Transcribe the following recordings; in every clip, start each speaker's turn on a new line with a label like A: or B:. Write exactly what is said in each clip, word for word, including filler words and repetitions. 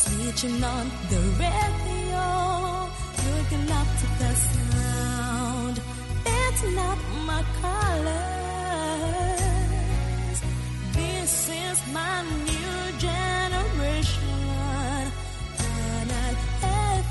A: Switching on the radio, looking up to the sound. It's not my colors. This is my new generation. Canal F M.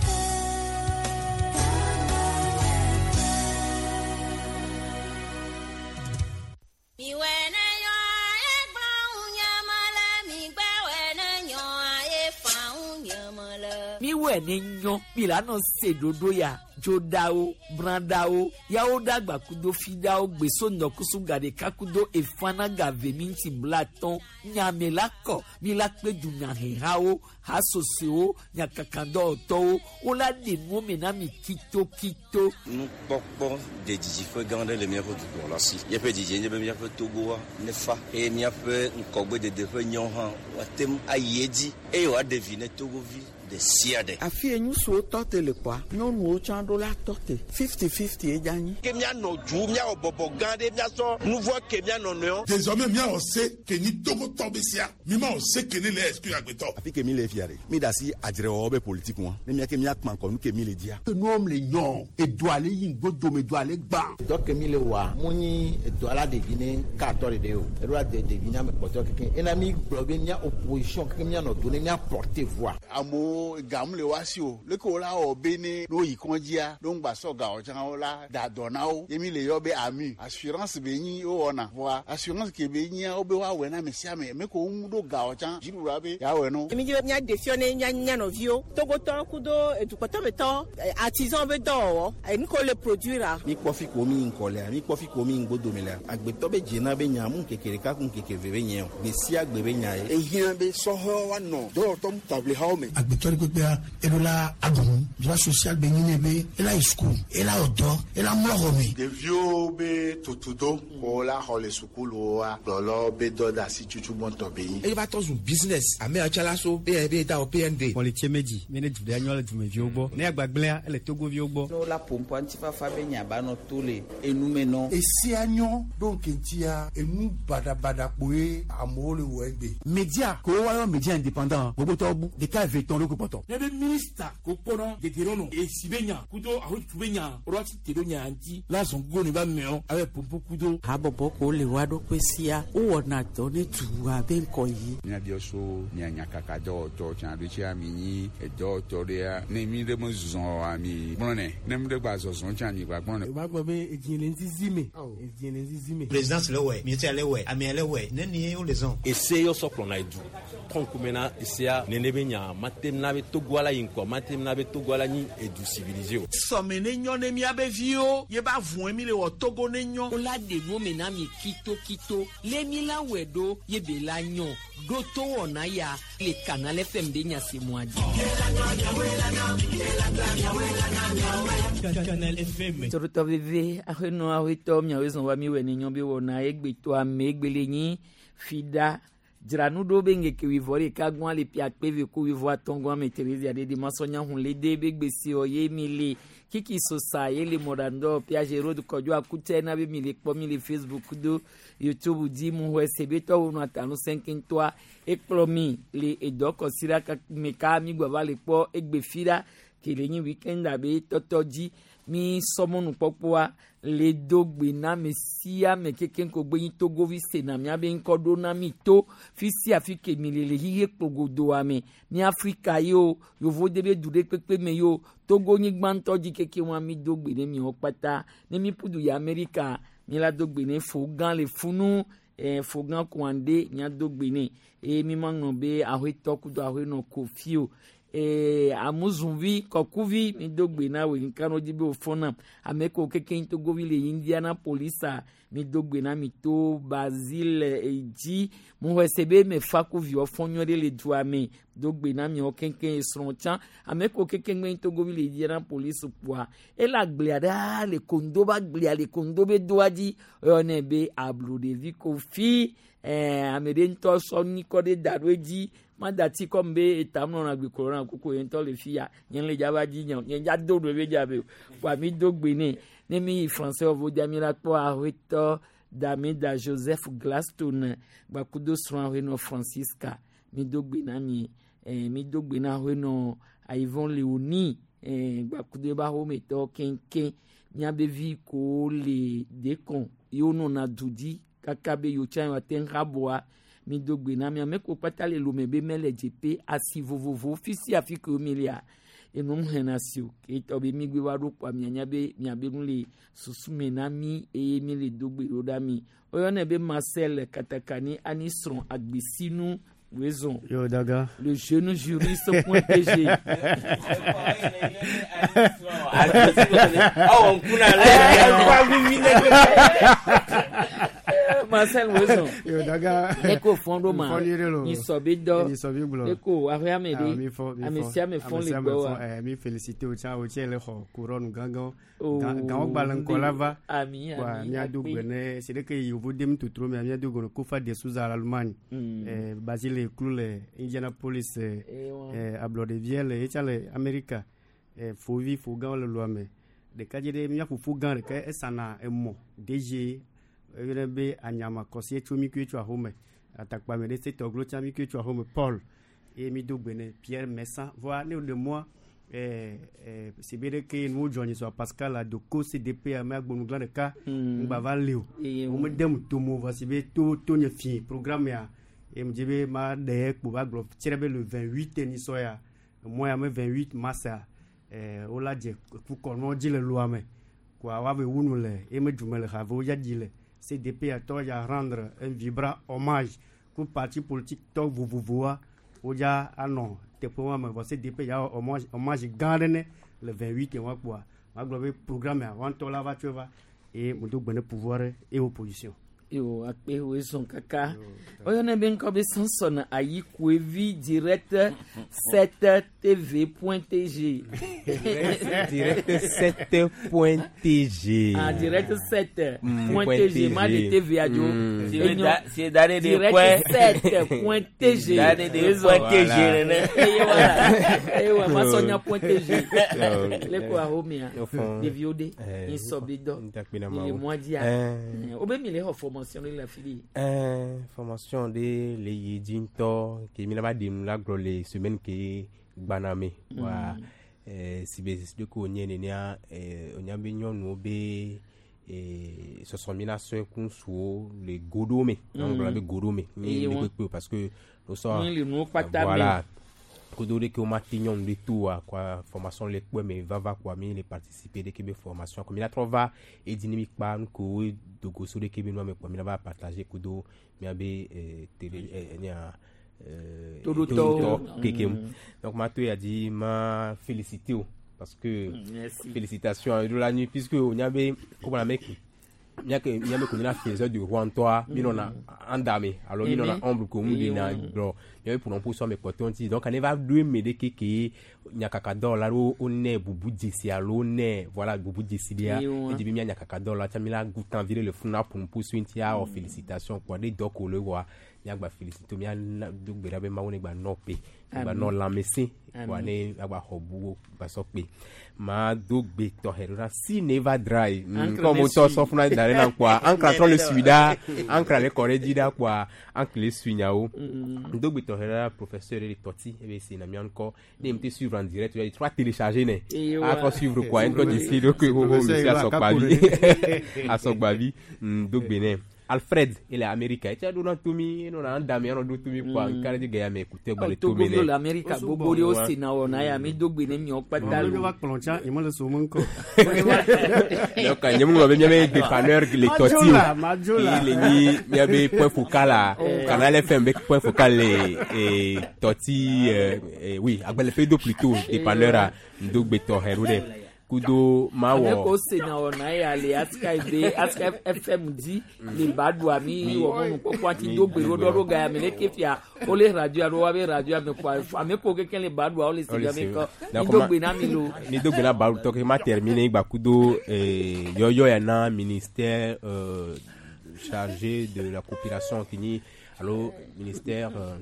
B: Mi wɛ ne nyɔ mi la nɔ se ɖoɖo ya dzoɖawo brãɖawo yawo ɖagba kudo fiɖawo gbeso ŋdɔkusu gaɖeka kudo efana gave mi ŋuti blatɔn nyame la kɔ mi la kpe dunyahehawo hasosowo nyakakadɔwɔtɔwo wola ɖe nuwo me na mi kitokito.
C: Nukpɔkpɔ de didiƒe gã aɖe le míaƒe dukplɔla si. Míaƒe didie nye be míaƒe Togoa nefa eye míaƒe ŋgɔgbedede ƒe nyawo hã woate ŋu ayi edzi eye wòaɖe vi ne Togovi ɖe sia ɖe.
D: Afi ye ŋutsuwo tɔ te le kpɔa, nyɔnuwo tsã ɖo la tɔ te fifty fifty ye dza nyi.
E: Ke míanɔ du míawɔ bɔbɔ gã ɖe míasɔ nu vɔ ke míanɔ nɔewo.
F: Désormais míawɔ se ke nyi Togotɔ be sia mi ma wɔ se ke ne le exclure agbetɔ.
G: Afi ke mi le fia ɖe mi da asi adzrewɔwɔ be politique ŋua ne míake míakpã kɔ nu ke mi le dzia.
H: Nuwɔm le nyɔ edoa le yi ŋgodome doa le gbã.
I: Dɔ ke mi le wɔa mu nyi edoa la ɖevi ne katɔ ɖeɖe o eɖo la de ɖevi ne ame kpɔtɔ keke ena mi gblɔ be mía opposition keke míanɔ do ne mía porter voix.
J: Amewo gamu le wa si o leke wo la wɔ be ne no yi kɔndzia no ŋgba sɔ gawɔ tsã wo la da dɔ na wo ye mi le yɔ be ami assurance be nyi wo wɔna voa assurance ke be nyia wo be woawɔe na ame sia ame me ko ŋu ɖo gawɔ tsã dziɖuɖua be yeawɔe no.
K: Mi dzi be mía ɖe fiɔ ne mía mía nɔviwo Togotɔ kudo edukpɔtɔmetɔ artisan be dɔwɔwɔ enu ko le produire.
L: Mi kpɔ fi ko mi ŋkɔ lea mi kpɔ fi ko mi ŋgodome lea agbetɔ be dzena be nya mu ŋkeke ɖeka ku ŋkeke ve be nye o gbe sia gbe be nya ye.
M: Ehiã be sɔhɛwo woanɔ dɔwɔtɔ taʋlihawo me.
N: Agbetɔ ɖe kpekpea eɖo la aɖu droit social be nyi ne be ela yi sukulu ela wɔ dɔ ela mlɔ xɔ me.
J: Ɖeviwo be tutudo ko la xɔ le sukuluwoa kplɔlɔwo be dɔ de asi tutu gbɔntɔ be nyi.
O: Eye va tɔ zu business ame atsala so be da o P N D.
P: Mɔlitse medzi mi ne du ɖe anyɔ le dumeviwo gbɔ ne agbagblẽa ele Togoviwo gbɔ.
I: Ne wola ƒoƒoa ŋutifafa be nya ba nɔ to le enume nɔ.
Q: Esia nyɔ ɖo ŋkeŋtia enu baɖabaɖa kpoe amewo le wɔ egbe.
R: Media ko woayɔ media indépendant gbogbotɔwo bu ɖeka eve tɔn ɖo ko kpɔtɔ.
S: Ne be minista ko kpɔnɔ dedenɔnɔ esi be nya kudo ahotu be nya ɔlɔ ti te ɖo nya ŋuti la zɔn go ne ba mɛɔ abe pompo kudo.
D: Habɔbɔ ko le wa ɖokui sia wowɔna dɔ ne dua be ŋkɔ yi.
T: Míabiɔ so mia nyakaka dɔwɔtɔ tsã ɖo tsia mi nyi edɔwɔtɔ ɖea ne mi ɖe me zɔ oa mi gblɔnɛ ne mi ɖe gba zɔzɔ tsã mi gba gblɔnɛ.
U: O b'a gbɔ be edzi le ŋzizi me edzi le ŋzizi me.
V: Présidence le wɛ ministère le wɛ amea le wɛ ne ni wo le zɔn.
W: Ese yɔ sɔ kplɔna edu kɔnkume na esea nene be nya mate na be Togo la yi ŋkɔ mate na be Togo la nyi edu civilisé o.
X: Sɔme ne nyɔ ne miabe viwo ye ba vɔe mi le wɔ Togo ne nyɔ.
B: Wola ɖe nuwo me na mi kitokito le mi la wɔe ɖo ye be la nyɔ ɖo to wɔna ya le Canal F M de nyasemua dzi.
Y: Canal F M.
B: Torotɔ veve ahenɔ ahotɔ miawo zɔn wa mi wɔ ne nyɔ be wɔna egbetɔ ame egbele nyi fida dzranu ɖo be ŋkeke wuivɔ ɖeka gbɔn le pia kpe ko wuivɔ atɔ̃ gbɔn ame Terezia ɖe de masɔnya hun le de be gbesi wɔ ye mi le kiki sosa ye le mɔɖaŋdɔ piage road kɔdzo akutse na be mi le kpɔ mi le Facebook do YouTube dzi mu xɔ ese be tɔwo nɔ atanu sɛnkɛntɔa ekplɔ mi le edɔ kɔsi ɖa me ka mi gbɔ va le kpɔ egbe fi ɖa ke le nyi weekend abe tɔtɔ dzi mi sɔmɔnukpɔkpɔa le do gbe na ame sia ame keke ko gbe nyi Togovi sena miabe ŋkɔ ɖo na mi to fi sia fi ke mi le le xixe kpogodoa me mi Afrika yi o yovo de be du ɖe kpekpe me yi o Togo nyigba ŋutɔ dzi keke wa mi do gbe ne miawo kpata ne mi ƒu du yi Amerika mi la do gbe ne fo gã le funu eh, fo gã kuande mia do gbe ne eye mi ma ŋlɔ be ahoetɔ kudo ahoenɔ kofi o ee amuzunvi kɔkuvi mi do gbe na wo nka no dzi be wòfɔ nam ame ko keke Togovi le Indianapolis mi do gbe na mi to Basile edzi mo xɔ se be me fa ku viwɔ fɔ nyuie ɖe le dua me do gbe na miawo keŋkeŋ esrɔ̃ tsã ame ko keke ŋgbe Togovi le Indianapolis kpoa ele agblea ɖaa le kondo be agblea le kondo be doa dzi eyɔnɛ be abloɖevi kofi ɛɛ ame ɖe ŋutɔ sɔ nyikɔ ɖe da ɖo edzi madati kɔm be etam nɔna gbe corona koko ye ŋutɔ le fi ya nye le dzaba dzi nye nye dza do ɖo be dza be o kpoa mi do gbe nɛ ne mi yi français wɔvo dza mi la kpɔ ahoetɔ Dameda Joseph Glaston gbakudo srɔ̃ ahoenɔ Francisca. mi do gbe na mi eh, mi do gbe na hoenɔ Ayivon Leoni eh, gbakudo eba xometɔ keŋkeŋ miabe vi ko le dekɔn yewo nɔna du dzi kaka be yewo tsã yewoate ŋu aboa mi do gbe na mi ame ko kpata le lome be mele dzepe asi vovovo fi sia fi ke mi lia enu hena si o ke tɔ be mi gbe wa ɖo kpoa mianya be miabe nu le susu me na mi eye mi le do gbe ɖo ɖa mi woyɔnɛ be Marcel Katakani ani srɔ̃ agbesinu raison.
P: Yo, Daga.
B: Le jeune juriste point T G. Marcel Wezon.
P: Yo, Daga.
B: Eko fondo ma. Ni sobi do.
P: Ni sobi glo.
B: Eko awe amede. Ame si ame fon le gbo wa.
P: Eh mi félicité o tcha o tcha le xo couronne gangan. Gangan gbalan ko lava.
B: Ami ami.
P: Mi ado gbene, c'est que yovo dem tout trop mais mi ado gono Kofa de Souza l'Allemagne. Eh Basile Clou le Indianapolis eh Ablodeville e tcha le America. Eh Fovi Fogan le loame. De kadje mi afu Fogan de ka esana emo D G eyɔnɛ be anyama kɔsi tso mi kue tso ahome atakpame ɖe se tɔglo tsa mi kue tso ahome Paul eye mi do gbe ne Pierre Messan voa ne le moa ɛɛ ɛɛ sibe ɖe ke nuwo dzɔ nyi sɔ Pascal Adoko C D P ame agbonugla ɖeka ŋgba va li o wo me dem tomo vɔ sibe to to nye fi programme ya eye mu dzi be ma ɖe kpo va gblɔ tsi ɖe be le vingt huit nisɔ ya mɔ ya me vingt huit mars ya ɛɛ wola dze kukɔnɔ dzi le loa me koa woave wu nu le eye me dzume le have wo ya dzi le C D P a tɔ ya rendre un vibrant hommage ku parti politique tɔ vovovoa wodza anɔ teƒe wa me vɔ C D P ya hommage hommage gã ɖe ne le vingt huit wa kpoa magblɔ be programme ya wa ŋutɔ la va tso va eye mo do gbe ne pouvoir et opposition.
B: Yo akpe wo zɔn kaka oyɔnɛ be ŋkɔ be Samson Ayikuevi direct sept T V point T G.
W: Direct sept point T G.
B: Ah, direct sept point T G. Ma de T V adzo.
A: C'est d'aller de point.
B: Direct sept point T G.
A: D'aller de point T G nene.
B: Eye wala. Eye wa masonya point T G. Le ko ahomia. Ɖeviwo de. Nsɔbi dɔ. Le mois dia. O be mi le xɔ formation de la fille.
W: Euh, formation de le yidinto qui mi va de la gro les semaine qui gbaname wa euh si be de ko nye ne nia euh onya be nyonu be et ce sont mina so kun so le godome on va be godome ni le parce que nous sommes voilà kodo de que ma tignon de tout quoi formation le quoi mais va va quoi mi les participer de que formation comme il a trop va et dynamique pas nous ko dogo so de que nous mais quoi mi va partager kodo mi abe télé nia euh
B: todo
W: keke donc ma to a dit m'a félicité parce que félicitations à la nuit puisque on y avait comment la mec miake miame ko na faiseur du roi toi mi non andame alors mi non ombre ko mu de na bro mi pour non pour so me potonti donc on va deux me de keke nyakaka do la ro one bubu disi alo ne voilà bubu disi dia et dit mi nyakaka do la tami la goutan virer le funa pour pour suinti a félicitations quoi des doko le roi miagba félicité mi do gbera be ma woni gba no pe gba no lamesi wa ne agba hobu gba so pe ma do gbe to herora si never dry comme to so funa dare na quoi ancre trop le suida ancre le corée dida quoi ancre le suinyao do gbe to herora professeur le toti e be c'est na mi encore ne me suivre en direct tu as trois télécharger ne a trop suivre quoi un d'ici donc o monsieur asogbavi asogbavi do gbe ne Alfred, il est américain. Tu as donné tout mi, non a dame, on do tout mi quoi. Quand il dit mais écoutez, bah le tout mi.
B: Togo l'Amérique, bobo aussi na on a mi dogbe ne mi opata.
P: Mo va ploncha, il mo le somo nko.
W: Donc il mo bien bien dépanneur les toti. Il ni il y avait point focal là. Canal F M avec point focal les et toti oui, agbele fait do plutôt dépanneur à dogbe to herude. Kudo mawo
B: ame ko se na ona ya le Skype Skype F M di le badu ami wo mo ko kwa ti do gbero do ro ga mi le kefia o le radio aro wa be radio ame kwa ame ko keke le badu o le se ga me ko ni do gbe na mi lo
W: ni do gbe na badu to ke ma terminer gba kudo eh yoyo ya na ministère euh chargé de la coopération qui ni alors ministère euh,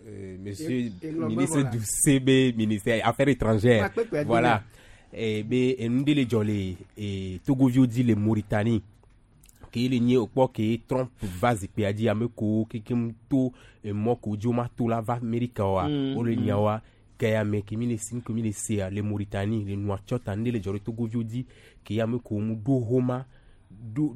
W: euh, monsieur ministre du C B ministère affaires étrangères voilà. Et be enundele jolé et Togovio dit le Mauritanie Ke le nye okpɔ ke Trump va zikpuia dzi ame ko kekem to emɔ ko dzi woma to la va Amerika wa
B: Mm,
W: wole
B: mm.
W: nya wa ke ame ke mi le si ke mi le sea le Mauritanie le Nouakchott ne le dzɔ ɖe Togoviwo dzi ke ame ko mu ɖo homa ɖo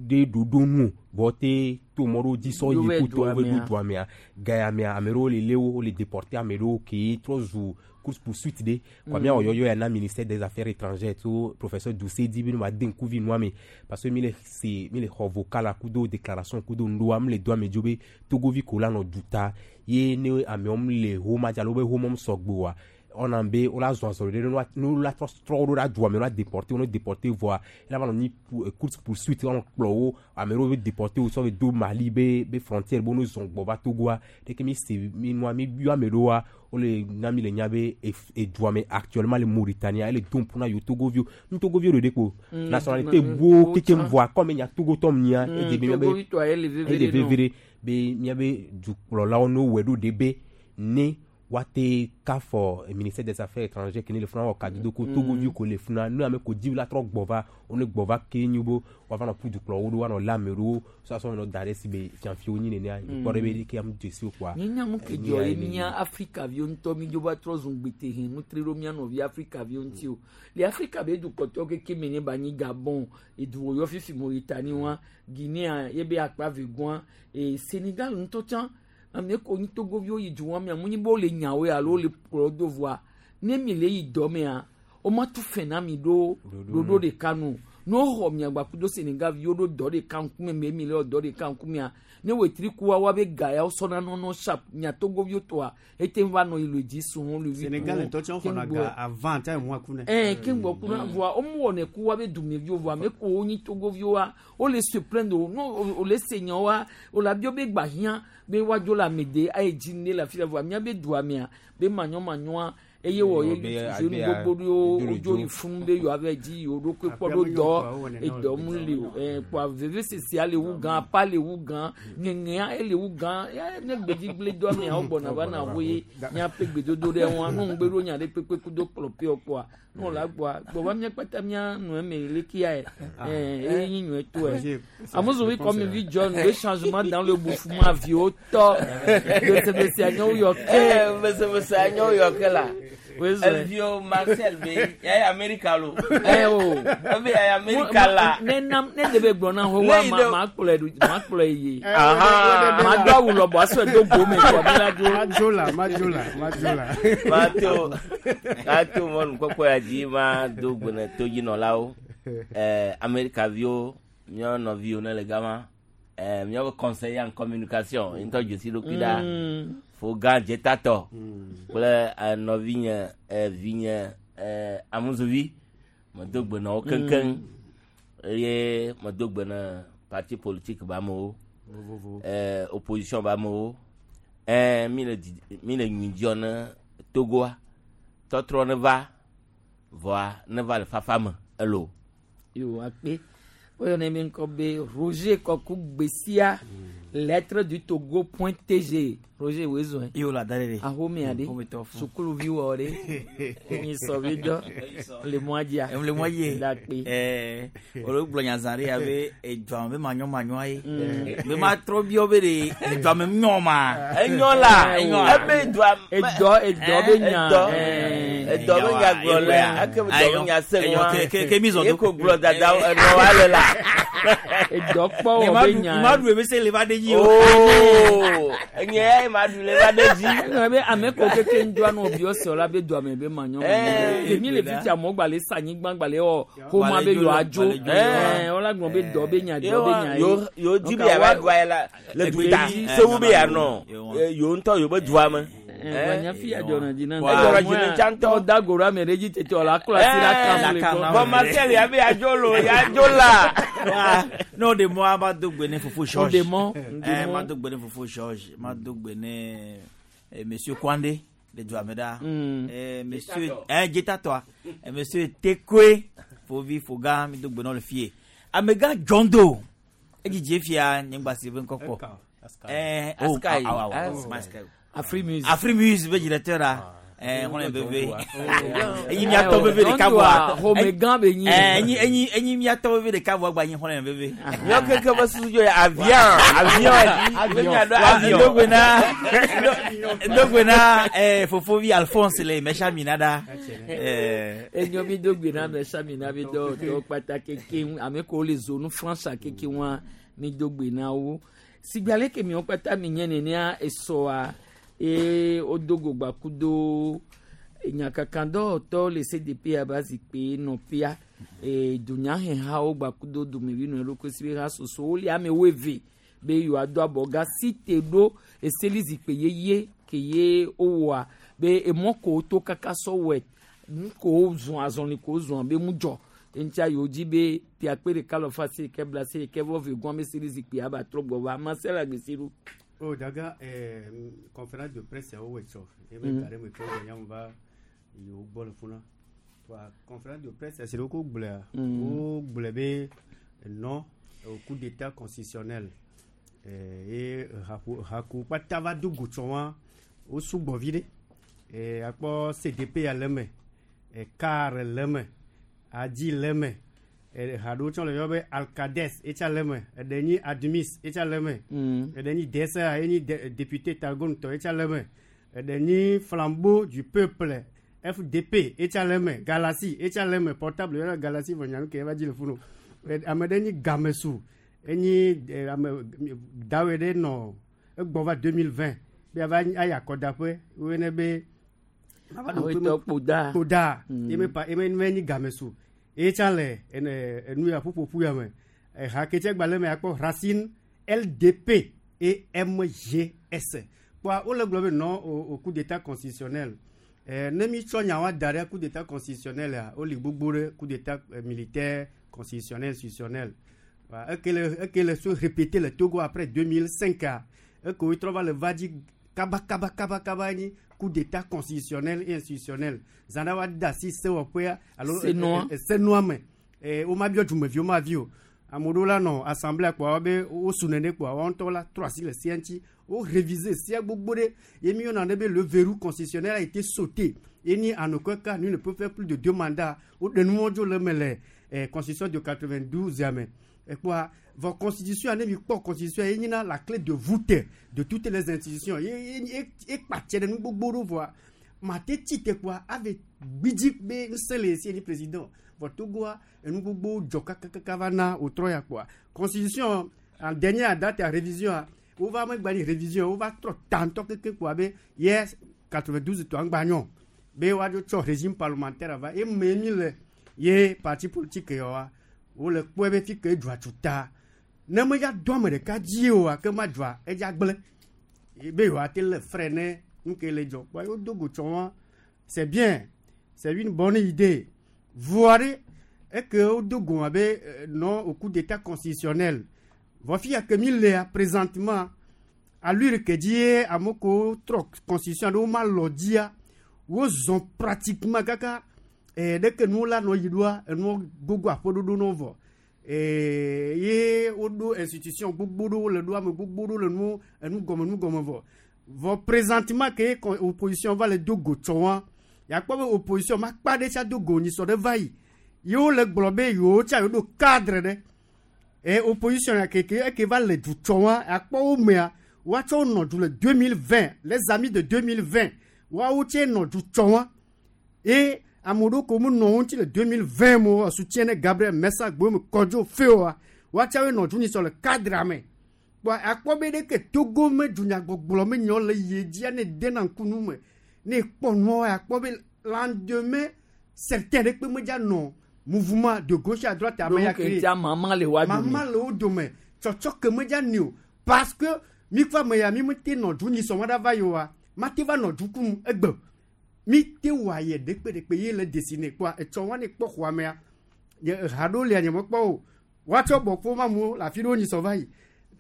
W: ɖe ɖoɖo nu vɔ te to mɔ ɖewo dzi sɔ
B: Ɖo
W: yi
B: va
W: kutɔ
B: dua
W: wo ɖo
B: mea.
W: dua mea ga ya mea ame ɖewo le lé wo wole déporté ame ɖewo ke trɔ zu course poursuite ɖe quoi
B: Mm.
W: miawɔ yɔyɔ ya na ministère des affaires étrangères to professeur Doucet di be ne ma de ŋkuvi nua me parce que mi le se mi le xɔ vocal la kudo déclaration kudo nuɖoa mi le do ame dzo be togovi ko la nɔ duta ye ne amewo mi le homa dzi alo be homa sɔgbe oa ɔna be wola zɔn azɔli ɖe ne woa- ne wola trɔ trɔ wo ɖo ɖa dua me wola déporté wo ne déporté vɔa ela va nɔ nyi pou- eh, course poursuite woanɔ kplɔ wo ame ɖewo be déporté wo sɔ be do Mali be be frontière be wo ne zɔn gbɔ va Togoa ɖeke mi se mi nua mi yɔ ame ɖewoa wole na mi le nya be ef- edua me actuellement le Mauritanie ele dom ƒu na yewo Togoviwo nu Togoviwo ɖeɖe ko
B: Mm,
W: nationalité
B: mm,
W: gbo
B: mm,
W: kekem
B: tsã.
W: vɔa kɔme nya Togotɔ mia
B: Mm,
W: edze be mia be
B: Togotɔa ye le veve
W: ele
B: ɖe nɔ.
W: veve ɖe be miabe dukplɔlawo ne wɔe ɖo ɖe be ne woate kafɔ ministère des affaires étrangères ke ne le funa wɔ kadodo ko
B: Mm.
W: togoviwo ko le funa ne ame ko dzi la trɔ gbɔ va wo ne gbɔ va ke nyi bo woava nɔ ƒu dukplɔwo ɖo woanɔ lé ame ɖewo sɔsɔ nɔ da ɖe si be fiafiwo nyi nenea
B: Mm.
W: kpɔ ɖe be ɖeke ame dzesi wo kpoa
B: nye nya nu ke
W: enyi
B: dzɔ
W: ya
B: ye
W: ye le
B: mía Afrika viwo ŋutɔ mi dzo va trɔ zu gbete he nutri ɖo mía nɔvi Afrika viwo ŋuti o le Afrika be dukɔtɔwo keke me ne ba nyi Gabon edu wo yɔ fifi Mauritanie wa Guinea ye be akpa ve gɔa e Sénégal ŋutɔ tsã ame ko nyi Togoviwo yi du wa mea mu nyi be wole nyawoe alo wole kplɔ do voa ne mi le yi dɔ mea woma tu fɛn na mi ɖo ɖoɖo ɖeka nu ne woxɔ mia gba kudo Sénégal viwo ɖo dɔ ɖeka ŋkume me mi le wɔ dɔ ɖeka ŋkumea ne wetri kua wa be ga ya wosɔna nɔnɔ sharp mia Togoviwo tɔa ete va nɔ yi le dzi sun le wi
P: Sénégal ŋutɔ tsɛ xɔna ga avant tsa emu aku nɛ.
B: ɛn keŋgbɔ kuna voa womu wɔnɛ ku wa be dumeviwo voa ame ko wonyi Togoviwoa wole se plaindre o no wole se nyawoa wole abio be gba hiã be woadzo le ame de ayi dzi ne le afi la voa mía be dua mea be manyɔmanyɔa eye wɔ ye
W: Be-
B: zenu
W: abe-
B: gbogbo ɖewo
W: do le
B: wodzo
W: dzo.
B: yi funu be yewoa va dzi yewo ɖokui kpɔ ɖo dɔ edɔ mu li o ɛn kpoa vevesesea le wu gã apa le wu gã ŋeŋea ele wu gã ya ne gbedzigble dɔ mea wo gbɔna va na woe míaƒe gbedodo ɖe ŋua nu ŋugbe ɖo nya ɖe kpekpe kudo kplɔƒewo kpoa nu la gbɔa gbɔ va mía kpata mía nɔe me lekia yɛ ɛn eye nyi nyɔe to yɛ amuzuvi kɔmi vi John le changement dans le bouffement viwo tɔ besebese anyawo yɔ ke
A: Eh, besebese anyawo yɔ ke la.
B: Wezɔ.
A: Evio Marcel be ya ye Amerika lo.
B: Eh o.
A: Ebe ya ye Amerika la.
B: Ne nam ne de be gblɔ na ho
A: Ne
B: wa
A: yi
B: ma
A: ɖe-
B: ma kplɔe ɖo ma kplɔe yi.
A: Aha.
B: Ma do awu lɔbɔ asɔe do go me kɔ mi la do.
P: Madzola madzola madzola.
A: Mato mato mɔnukpɔkpɔ ya dzi ma do gbe ne todzinɔlawo ɛɛ Amerikaviwo míawo nɔviwo ne le gama ɛɛ míawo conseiller en communication ŋutɔ dzesi ɖokui ɖa
B: Mm.
A: Fogã Dzetatɔ kple eh, nɔvinye eh, vinye eh, Amuzuvi medo gbe na wo keŋkeŋ eye medo gbe na parti politique be amewo eh, opposition be amewo eh, mi le didi- mi le nyui dziɔ ne Togoa tɔtrɔ ne va vɔa ne va le fafa me elo.
B: Yo akpe. Woyɔnɛ mi ŋkɔ be Roger Kɔku Gbesia lettre du Togo point TG. Roger wezɔn.
C: Yo la da ɖe.
B: Ahomea ɖe.
C: Ahometɔ fún.
B: Sukuluviwɔ ɖe. Enyi sɔvi dɔ. Le mɔa dzia.
C: Le mɔa dzi.
B: Dakpe.
C: Ɛɛ olu gblɔ nya zã ɖe ya be edua me be manyɔmanyɔ ye.
B: Mm.
C: Be ma trɔ biɔ be ɖe edua me nyɔ ma.
A: Enyɔ la
C: Enyɔ la.
A: ebe dua
B: Edɔ edɔ be nya.
A: Edɔ
B: ɛɛ.
A: edɔ be nya gblɔ le ake dɔ be nya se
C: Enyɔ,
A: ŋua
C: ke- ke- ke mi zɔ
A: ye
C: do.
A: ko gblɔ dada enɔ wa le la.
B: Edɔ kpɔ
C: Ne
B: wɔ
C: ma
B: be
C: ɖu
B: nya.
C: ma ɖu ebe se le va ɖe dzi o.
A: Oo enye ya ye ma ɖu le va ɖe dzi.
B: Eŋlɔ be ame ko keke ŋdɔa nɔ biɔ sɔ la be dua me be manyɔ
A: Eh,
B: manyɔ. Ke mi le fi tia amewo gba le sa anyigba gba le wɔ xɔma be
C: Gba le
B: yewoa dzo.
C: dzo le, gba le dzo.
B: Ɛɛ wola gblɔ be dɔ be nya dɔ be nya ye.
A: Yo yo di be
B: Donc,
A: yava
B: awa-
A: ɖua ye la le duta
B: Egbe-
A: sewu be yanɔ yo ŋutɔ yo be dua me.
B: Ɛɛ nya fi ya dzɔna dzi na.
A: Edzɔna dzi ne tsã ŋutɔ.
B: Ɔ da go ɖe ame ɖe dzi tete wòle aklo asi ɖe akam le gbɔ.
A: Bɔn Marcel ya be yadzo lo yadzo la.
C: Wa ne o de mɔ ma do gbe ne fofo George.
B: O de mɔ, o de
C: Ɛɛ
B: mɔ.
C: ma do gbe ne fofo George ma do gbe ne eh, monsieur Kwande le dua me ɖa.
B: Mm.
C: Eh, monsieur ɛɛ Dzetatɔa Eh, monsieur Tekwe fovi Fogã mi do gbe na wo le fie. Amegã John Doe edzidzi fia nye ŋgba si be ŋkɔ kpɔ. Ɛɛ oh
A: Askai.
C: awo awo
A: Askai.
B: Afrimuse.
C: Afrimuse be directeur la. Eh, xɔlɔ̃ veve. Enyi miatɔ veve ɖeka vɔa.
B: Xɔmegã be nyi.
C: Eh, enyi enyi enyi miatɔ veve ɖeka vɔa gba nyi xɔlɔ̃ veve.
A: Míawo keke be susu dzo ye avion avion dzi be miaɖo avion.
C: Ndogbe na ndogbe na eh fofovi Alphonse le mɛsa mina ɖa. Eh
B: enyo mi do gbe na mɛsa mina be dɔ dɔ kpata keke ame ko le zonu France keke wa mi do gbe na wo. Sigbe ale ke miwo kpata mi nye nenea esɔa eye wodo go gbakudo nyakakadɔwɔtɔwo le C D P aba zikpui nɔƒea e dunyahehawo gbakudo dumevi nɔ eɖokui si be ha soso wole ame woeve be yewoado abɔga si te ɖo eseli zikpui yeye ke ye wowɔa be emɔ ko woto kaka sɔ wɔe nu ko wozɔn azɔli ko wozɔn be mu dzɔ eŋutia yewo dzi be piakpe ɖeka lɔ fa se ke bla se ke vɔ ve gɔn be seli zikpui aba trɔ gbɔ va Marcel Agbesiru.
P: Oh, daga eh, conférence de presse yawo wɔ tsɔ ebe mm. gare me tɔ gbɔ nyamu va yewo gbɔ le funa. Wa conférence de presse si ko gblɔa, wo gblɔ be non au coup d'état constitutionnel eh, ye haku haku kpata va do go tsɔ wa wo sugbɔ vi ɖe eh, akpɔ C D P ya le me, eh, CAR le me, ADI le me, eh, haɖewo tsɔ le yɔ be Alcades etsa le me, eɖe nyi Admis etsa le me, eɖe nyi D S A enyi député Targone tɔ etsa le me, eɖe nyi Flambeau du Peuple F D P etsa le me, Galaxy etsa le me, portable yɔrɔ Galaxy vɔ nyanu ke eva dzi le funu. Ame ɖe nyi Gamesu enyi ame dawe ɖe nɔ egbɔ va deux mille vingt be ava ayi akɔdaƒe woyɔnɛ be
B: Awetɔ Kpoda.
P: Kpoda eme pa eme eme nyi Gamesu etsa le ene enu ya ƒuƒoƒu ya me. Eha ke tse gbalẽ me akpɔ Racine L D P et M G S kpɔa wole gblɔ be non au, au coup d'état constitutionnel. Eh, ne mi tsɔ nyawa da ɖe coup d'état constitutionnel ya woli gbogbo ɖe coup d'état eh, militaire constitutionnel institutionnel. Eke le eke le se répéter le Togo après deux mille cinq a eke wo trɔ va le va dzi kaba kaba kaba kaba nyi coup d'état constitutionnel et institutionnel zã ɖe wa da asi sewɔƒea alo
B: Senua.
P: Senua me wo ma biɔ dumeviwo ma vi o ame ɖewo la nɔ assemblée kpoa be wosu nene kpoa woawo ŋutɔ la trɔ asi le sia ŋuti wo réviser sia gbogbo ɖe ye mi yɔna ɖe be le verrou constitutionnel a été sauté ye ni en aucun cas nul ne peut faire plus de deux mandats woɖe nuwo dzo le me le eh, constitution de quatre-vingt-douze ya me ekpoa vɔ constitution ne mi kpɔ constitution ye nyina la clé de voûte de toutes les institutions ye ye ye kpatsɛ ɖe nu gbogbo ɖo vɔa mate tsi te kpoa ave gbidzi be ŋusẽ le esi ni président vɔ Togoa enu gbogbo dzɔ kakakaka va na wòtrɔ ya kpoa constitution en dernière date ya révision a wova megba ni révision wova trɔ tantɔ keke kpoa be ye quatre-vingt-douze tɔ ŋgba nyɔ be woadzo tsɔ régime parlementaire va eme mi le ye parti politique yawoa wole kpɔe be fi ke dzɔa tuta ne medza do ame ɖeka dzi oa ke ma dzɔa edza gblẽ be yewoate le frais ne nu ke le dzɔ kpoa yewo do go tsɔ wa c'est bien, c'est une bonne idée voa ɖe eke wodo go abe non au coup d'état constitutionnel vɔ fi ya ke mi lea présentement allure ke dzi ye ame kewo trɔ constitution ɖe wo ma lɔ dzia wozɔn pratiquement kaka eh, ɖeke nuwo la nɔ yi ɖoa enuwo gogo aƒeɖoɖo nɔ vɔ eh, ye woɖo institution gbogbo ɖewo le ɖo ame gbogbo ɖewo le nu enu gɔme nu gɔme vɔ vɔ présentement ke opposition va le do go tsɔ wa yakpɔ be opposition ma kpa ɖe tsa do go nyisɔ ɖe va yi yewo le gblɔ be yewo tsa yewo ɖo cadre ɖe e opposition ya keke eke va le du tsɔ wa akpɔ wo mea woatsɔ wo nɔ du le deux mille vingt, les amis de deux mille vingt woawo tse nɔ du tsɔ wa e ame ɖewo ko mu nɔ wo ŋuti le deux mille vingt mo soutien ne Gabriel Messa Gbome Kɔdzo Feoa woatsawoe nɔ du nyisɔ le cadre me kpɔ akpɔ be ɖeke Togo me dunyagbɔgblɔ me nyɔ le yie dzia ne dena ŋku nu me ne kpɔ nuawo akpɔ be lendemain certain ɖe kpe medza nɔ mouvement de gauche à droite ame ya
B: Donc, tia mama le wa dome.
P: Mama le wo dome tsɔtsɔ ke medza ni o parce que mi kpa me ya mi mete nɔ du nyisɔ ma ɖa va yi oa mate va nɔ du kum egbe mi te wɔ ayɛ ɖekpe ɖekpe ye le dessiné kpoa etsɔ wa ne kpɔ xɔa mea nye ha ɖewo lia nye mekpɔ o woatsɔ bɔ kpo ma mu le afi ɖewo nyisɔ va yi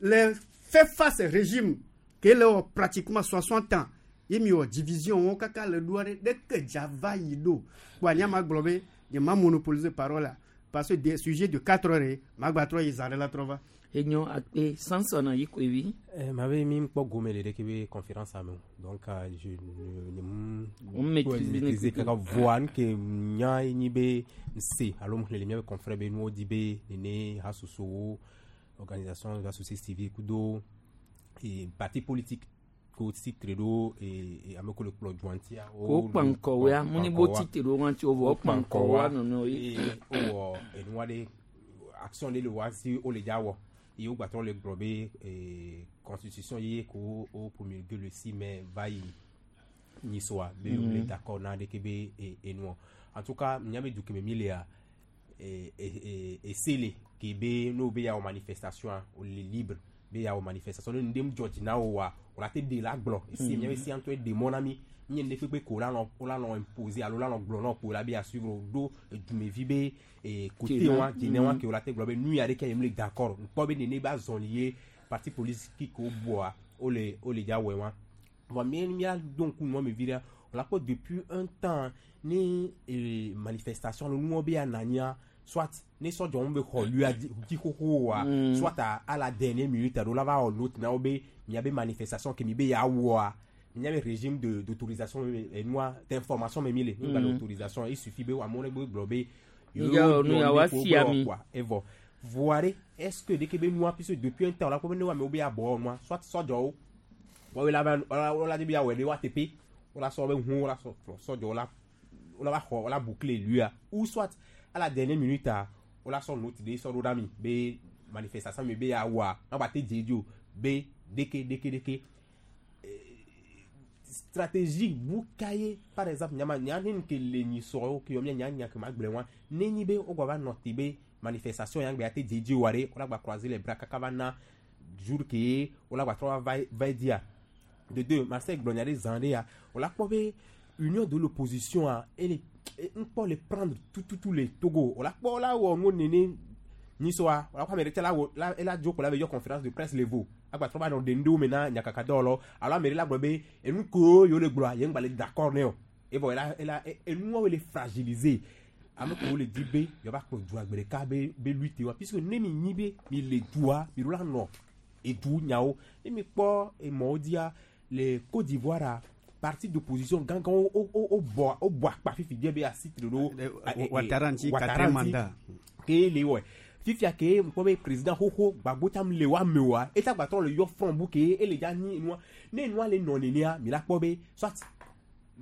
P: le fait face régime ke le wɔ pratiquement soixante ans ye mi wɔ division wo kaka le ɖoa ɖe ɖeke dza va yi ɖo kpoa nye ma gblɔ be nye ma monopoliser parole la parce que des sujets de quatre heures ye ma gba trɔ yi zã ɖe la trɔ va.
B: Enyo akpe Samson yi koevi.
W: Eh, ma be mi kpɔ gome le ɖeke be conférence ame o donc euh, je ne
B: On maîtrise bien
W: maîtriser
B: écouter.
W: kaka voa nu ke nya ye nyi be nse alo mu xlẽ le miabe confrère be nuwo di be nene hasosowo organisation de la société civile kudo e parti politique ko titre ɖo e e ame ko le kplɔ dua ŋutia
B: Ko kpankɔwoa, mu ni bo titre ɖo ŋuti o vɔ kpankɔwoa nɔnɔ ye.
W: eye wowɔ enua ɖe action ɖe le wa si wole dza wɔ eye wo gbatrɔ le gblɔ be eh, constitution ye ko wo promulgué le six mai va yi nyisɔa be
B: Mhm.
W: wole d'accord na ɖeke be eh, enuɔ en tout cas nya be du keme mi lea eh, eh, eh, ese le ke be n'o be ya wɔ manifestation a wole libre be ya wɔ manifestation ne nu ɖe dzɔ dzi na wo wa o la te ɖe la gblɔ ese
B: Mhm.
W: mia be sia ŋutɔ ɖe mɔ na mi nye ne kpekpe ko la nɔ wo la nɔ imposer alo la nɔ gblɔ na ko la be ya suivre o ɖo edumevi be eh, côté
B: Dzena.
W: wa dzene wa
B: Mhm.
W: ke o la te gblɔ be nu ya ɖeke yem le d'accord ŋkpɔ be nene ba zɔli ye parti politique ko bɔa wole wole dza wɔe wa vɔ mi mia do ŋku nua me vi ɖe o la kpɔ depuis un temps ne eh, manifestation lo nuwo be ya nanya soit ne sɔdzɔwo be xɔ lua dzi dzi xoxo wa
B: Mm.
W: soit à, à la dernière minute alo la va wɔ note na wo be miabe manifestation ke mi be ya wɔa mia be régime de d'autorisation eh, nua d'information me mi le mi gba le
B: Mm.
W: autorisation il suffit be amewo ne be gblɔ be
B: Mi ya wɔ nu ya wa sia mi.
W: evɔ voa ɖe est ce que ɖeke be nua puisque depuis un temps la ko be ne wa amewo be ya bɔ nua soit sɔdzɔwo wɔwoe la va wo la di be ya wɔe ɖe wa teƒe wo la sɔ be hu wo la sɔ sɔdzɔwo la wo la va xɔ wo la boucler lua ou soit à la dernière minute a wo la sɔ note ɖe sɔ ɖo ɖa mi be manifestation mi be ya wɔa na ba te dze dzi o be ɖeke ɖeke ɖeke stratégie bu ka ye par exemple nyama nya ne nu ke le nyisɔwo ke yɔ mia nya nya ke ma gblẽ wa ne nyi be wo gba va nɔ te be manifestation ya gbe ya te dze dzi wa ɖe wo la gba croiser les bras kaka va na jour ke wo la gba trɔ va va dzia de deux Marcel gblɔ nya ɖe zã ɖe ya wo la kpɔ be union de l'opposition a ele ŋkpɔ le prendre tout tout tout le Togo wo la kpɔ wo la wɔ nuwo nene nyisɔa wo la kpɔ ame ɖe tse la wɔ la ela dzo ko la be yɔ conférence de presse le vo agbatrɔ va nɔ ɖe nu ɖewo me na nyakaka dɔwɔlawo alo ame ɖe la gblɔ be enu kewo yewo le gblɔa ye ŋgba le d'accord ne o evɔ ela ela enuawo le fragiliser ame kewo le di be yewoava kplɔ dua gbe ɖeka be be lutte wa puisque ne mi nyi be mi le dua mi ɖo la nɔ edu nyawo ne mi kpɔ emɔwo dzia le Côte d'Ivoire a parti d'opposition gãgãwo wo wo wo bɔ wo bɔ akpa fifi die be asitre ɖo
P: Ouattara ŋuti quatrième mandat.
W: ke le wɔe fifia ke ŋkpɔ be président xoxo gbagbo tam le wa me wa eta gbatɔ le yɔ front bu ke ele dza nyi nua ne nua le nɔ nenea mi la kpɔ be soit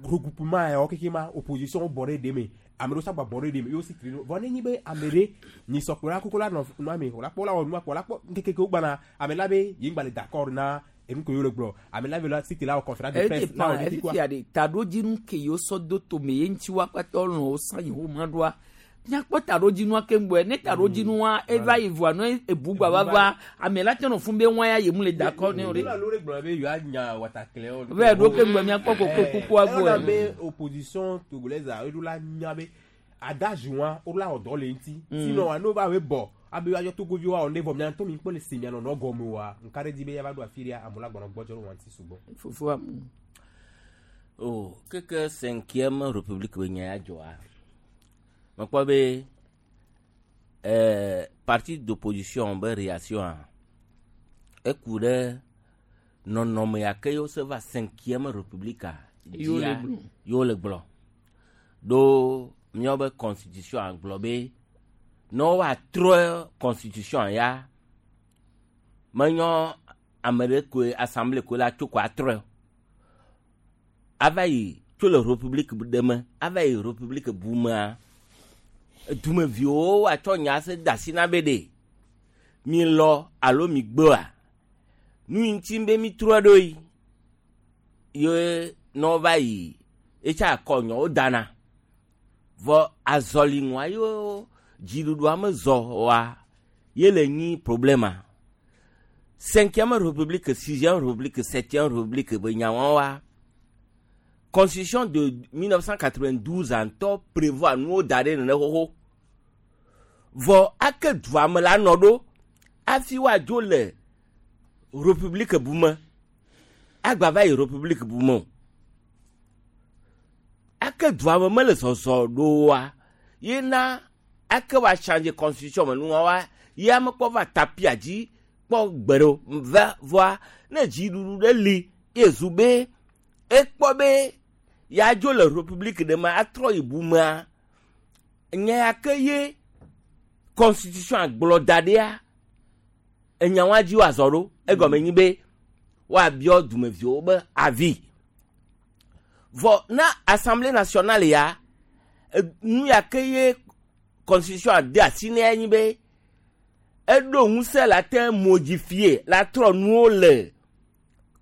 W: regroupement yawo keke ma opposition bɔ ɖe ɖe me ame ɖewo sagba bɔ ɖe ɖe me yewo si tri ɖo vɔ ne nyi be ame ɖe nyisɔkplɔla koko la nɔ nua me wòla kpɔ la wɔ nua kpɔ la kpɔ ŋkeke kewo gbana ame la be ye ŋgba le d'accord na enu ke yewo le gblɔ ame la be la si te la wɔ conférence de presse la wɔ
B: edepan
W: ɖe
B: efifia ɖe taɖodzinu ke yewo sɔ do tome ye ŋuti wa kpata lɔn wo san yewo ma ɖoa míakpɔ taɖodzinua keŋ gbɔe ne taɖodzinua eva yi voa ne ebu gba va va ame la te nɔ fún be ŋua ya yemu le d'accord ne o ɖe.
W: alo ɖe gblɔ be yewoa nya watakle
B: Ve ɖo keŋ gbɔ míakpɔ koko kukua
W: gbɔ
B: gbɔe.
W: be opposition togolaise a eɖo la nya be adage wa wo la wɔ dɔ le ŋuti
B: Mm.
W: sinon wa n'o va we bɔ abe woayɔ togoviwo awɔ ne vɔ mia ŋutɔ mi kpɔ le se mia nɔnɔ gɔme wa nka ɖe di be yava ɖo afi ɖea amewo la gbɔnɔ gbɔdzɔ ɖo wa ŋuti sugbɔ.
B: Fofoa mu.
A: o keke cinquième république be nya ya dzɔa mekpɔ be eh, parti d'opposition be réaction a eku ɖe nɔnɔme ya ke yewo se va cinquième république a
B: Yewo le
A: dzia,
B: gblɔ.
A: yewo le gblɔ ɖo míawo be constitution a gblɔ be ne woatrɔ constitution ya menyɔ ame ɖe koe assemblée koe la tso ko atrɔe o ava yi tso le république ɖe me ava yi république bu mea dumeviwo atsɔ nya se da asi na be ɖe mi lɔ alo mi gbea nu yi ŋuti be mi trɔ ɖo yi ye ne wova yi etsa akɔ nyɔwo dana vɔ azɔli ŋua yewo dziɖuɖua me zɔ wa ye le nyi problema cinquième république sixième république septième république be nyawo wa constitution de mille neuf cent quatre-vingt-douze ŋutɔ prévoit nuwo da ɖe nene xoxo vɔ ake dua me la nɔ ɖo hafi woadzo le république bu me agba va yi république bu me o ake dua me mele zɔzɔ ɖo wa ye na ake wa changer constitution me nua wa ye ame kpɔ va tapia dzi kpɔ gbe ɖe o va vɔa ne dziɖuɖu ɖe li ye zu be ekpɔ be yadzo le république ɖe me atrɔ yi bu mea nya ya ke ye constitution gblɔ da ɖia enya wa dzi woazɔ ɖo egɔme nyi be woabiɔ dumeviwo be avi vɔ na assemblée nationale ya e, nu ya ke ye constitution de asi ne nyi be eɖo ŋusẽ la te modifier la trɔ nuwo le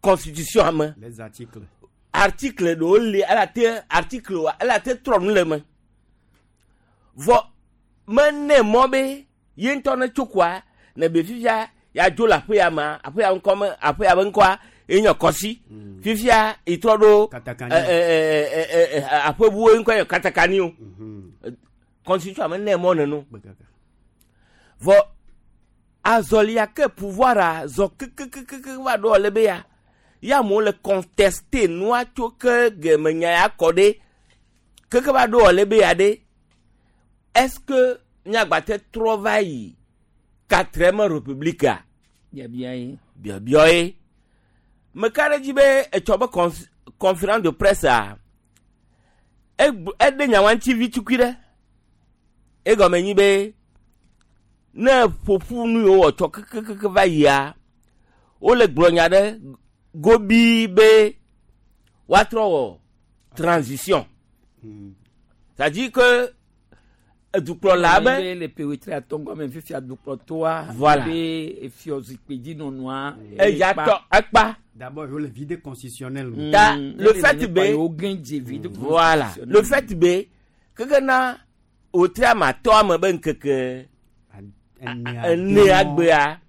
A: constitution me
P: Les articles.
A: article ɖewo li ela te article wa ela te trɔ nu le me vɔ mene mɔ be ye ŋutɔ ne tso koa ne be fifia ya dzo le aƒe ya mea aƒe ya ŋkɔ me aƒe ya be ŋkɔa ye nye kɔsi fifia itrɔ ɖo
P: Katakani.
A: ɛ, ɛ, ɛ, ɛ, ɛ, aƒebuwo ŋkɔ nye katakani o constitution me ne mɔ neno vɔ azɔlia ke pouvoir a zɔ kekekeke va ɖo le be ya ya amewo le contester nua tso ke geme nya ya kɔ ɖe keke va ɖo le be ya ɖe est-ce que miagbate trɔ va yi quatrième république a
B: biabia ye
A: biabiɔ ye meka ɖe dzi be etsɔ be cons- conférence de presse a egb- eɖe nyawa ŋuti vi tukui ɖe egɔme nyi be ne ƒoƒu nu yiwo wɔ tsɔ kekekeke va yia wole gblɔ nya ɖe gobii be woatrɔ wɔ transition c'est-à-dire que edukplɔla be
B: be le ƒe wetri atɔ̃ gɔme fifia dukplɔtɔa
A: Voilà.
B: be efiɔ zikpui dzi nɔnɔa
A: eya tɔ ekpa
P: D'abord, il y a le vide constitutionnel.
A: Ta le fait be
B: wo gɛn dze vide
A: voilà le fait be keke na wòtri ama atɔ ame be ŋkeke enea gbea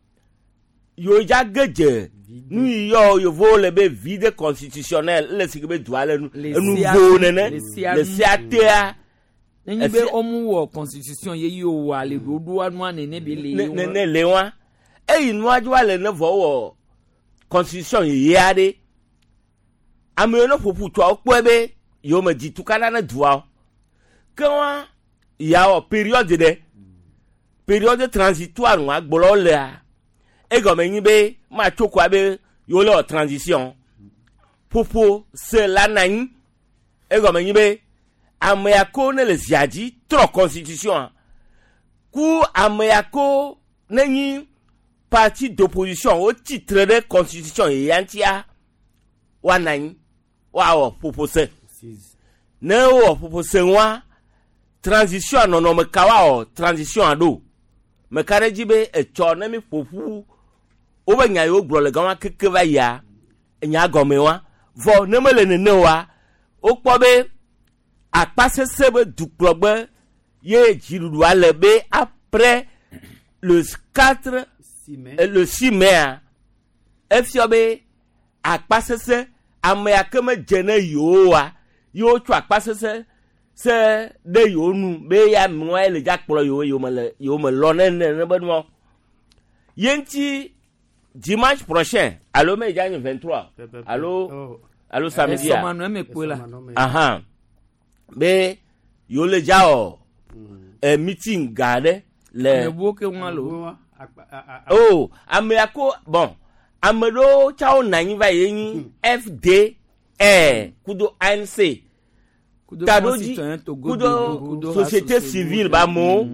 A: yewo dza ge dze nu yi yɔ yevowo le be vide constitutionnel ele si ke be dua le nu
B: Le
A: enu
B: sia-
A: vo nene
B: le sia
A: le
B: nu.
A: sia tea
B: nenye be
A: Efia-
B: womu wɔ constitution ye yi wòwɔa le ɖoɖoa nua nene be le
A: ne
B: ye
A: ne ne le wa eyi nua dzi wa le ne vɔ wɔ constitution yeye aɖe ame yiwo ne ƒoƒu tsoa wokpɔe be yewo me dzi tukana ne dua o ke wa ya wɔ période ɖe période transitoire ŋua gblɔ lea egɔme nyi be matso koa be yewo le wɔ transition ƒoƒo se la na anyi egɔme nyi be ame ya ko ne le zia dzi trɔ constitution ku ame ya ko ne nyi parti d'opposition wotsi tre ɖe constitution yeyea ŋutia woanɔ anyi woawɔ ƒoƒo se ne wowɔ ƒoƒo se ŋua transition nɔnɔme ka woawɔ transition ɖo meka ɖe dzi be etsɔ ne mi ƒoƒu wobe nya yiwo gblɔ le gama keke va yia enya gɔme wa vɔ ne mele nene oa wokpɔ be akpasese be dukplɔgbe ye dziɖuɖua le be après le quatre euh, le six mai a efiɔ be akpasese ame ya ke medze ne yewo oa yewo tsɔ akpasese se ɖe yewo nu be ya nua le dza kplɔ yewo yewo me le yewo me lɔ ne ne ne be nua ye ŋuti dimanche prochain alo me dza nye vingt trois alo alo samedi a
B: Esɔmanu eme kpoe la.
A: ahan be yewo le dza wɔ ɛ meeting gã ɖe le
B: Ame buwo ke ŋua lo.
A: oh ame ya ko bon ame ɖewo tsa wo nɔ anyi va ye nyi fdr kudo anc
B: Kudo
A: taɖodzi
B: Citoyen Togo
A: kudo
B: Debout, kudo
A: société
B: Associé
A: civile ba amewo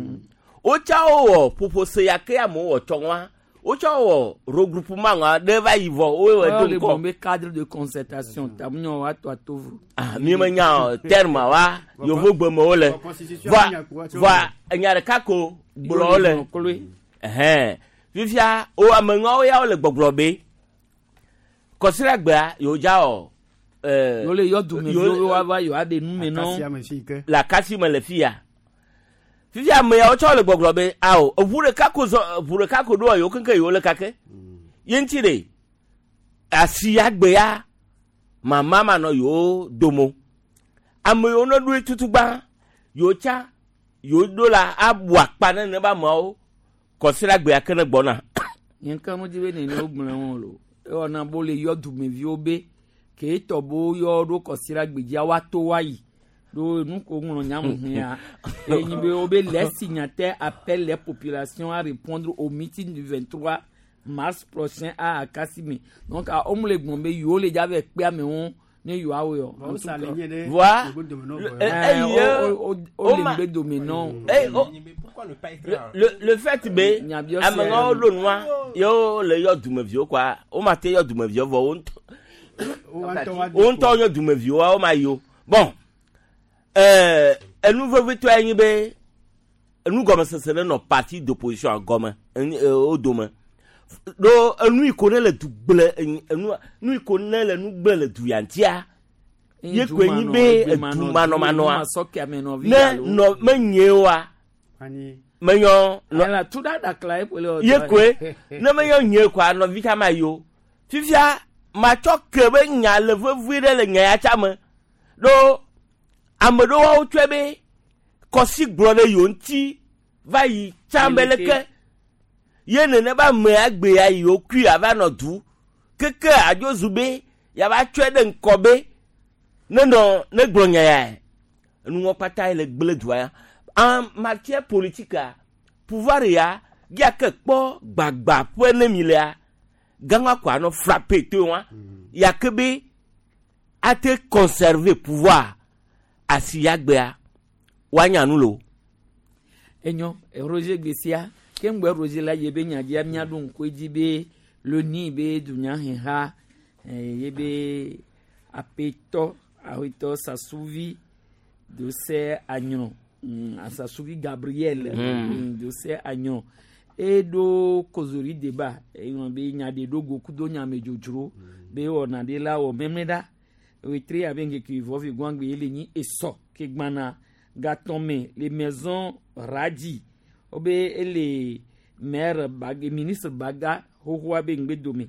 A: wotsa wowɔ ƒoƒose ya ke amewo wɔ tsɔ ŋua wotsa wɔ regroupement ŋua ɖe va yi vɔ wowɔ
B: Ɔ
A: do
B: le
A: ŋkɔ
B: gblɔm be cadre de concertation tamunyɔ woato atovo.
A: Ah, mi me nya o terme wa yevo gbe me wole vɔa vɔa enya ɖeka ko gblɔ wole ɛhɛn fifia wo ameŋawo ya wole gbɔgblɔ be kɔsiɖagbea yewo dza wɔ ɛɛ
B: Yewo le yɔ dumeviwo be woava yewoaɖe nu me na wo.
A: le akasi me le fia fifia ame yawo tsɔ le gbɔgblɔ be awo eʋu ɖeka ko zɔ eʋu ɖeka ko ɖoa yewo keŋkeŋ yewo le kake ye ŋuti ɖe asi agbe ya mama manɔ yewo domo ame yiwo ne ɖoe tutugba yewo tsa yewo ɖo la abu akpa ne ne be ameawo kɔsiɖagbea ke ne gbɔna
B: Nye ŋka mo dzi be nene wogblɔ wɔn lo. Ewɔna bo le yɔ dumeviwo be ke etɔ bo yɔ ɖo kɔsiɖagbe dzia woato woayi. Ɖo nu ko ŋlɔ nyamu hĩa enyi be wo be les signataires appellent les populations à répondre au meeting du vingt-trois mars prochain à Akasime. Donc a homme le gbɔn be yewo le dza vɛ kpe amewo ne yewoa wɔ yɔ. En tout cas.
A: Voa
B: Eh, o- o- o le ŋgbe dome nɔ.
A: Eh, oh, le le fait be amewo ɖo nua yewo le yɔ dumeviwo kɔa wo ma te yɔ dumeviwo vɔ wo ŋutɔ wo ŋutɔ yɔ dumeviwoa wo ma yi o bon ɛɛ enu vevitɔe nye be enugɔmesese ne nɔ parti d'opposition gɔme enu ee wo dome ɖo enu yi ko ne le du gble enu nu yi ko ne le nu gble le du ya ŋutia ye koe nyi be edumanɔmanɔa ne nɔ menye oa menyɔ
B: nɔ tu ɖa ɖakla ye ƒo le
A: ye koe ne menyɔ nye koa nɔvi tsa ma yi o fifia matsɔ ke be nya le vevie ɖe le nya ya tsa me ɖo ame ɖewo wotsɔe be kɔsi gblɔ ɖe yewo ŋuti va yi tsã be leke ye nene be amea gbe ya yiwo kui ava nɔ du keke adzo zu be yava tsɔe ɖe ŋkɔ be ne nɔ ne gblɔ nya ya enuwɔ kpata ye le gble dua ya en matière politique pouvoir ya ya ke kpɔ gbagba ƒe ne mi lea gãŋua ko anɔ frappe to wa ya ke be ate conserver pouvoir asi ya gbea woanya nu lo.
B: Enyo Roger Gbessia ke ŋgbɛ Roger la ye be nyadzia miaɖo ŋku edzi be loni be dunyaheha ye be apetɔ ahotɔ Sasuvi Dose Agnon Sasuvi Gabriel mm. Dose Agnon eɖo kozori débat eŋlɔ be nya ɖe ɖo go kudo nyamedzodzro be wɔna ɖe la wɔ mɛmɛ ɖa wetri abe ŋkeke vɔvi gbɔngbe ye le nyi esɔ ke gbana gatɔme le maison radi wobe ele maire baga ministre baga xoxoa be ŋgbe dome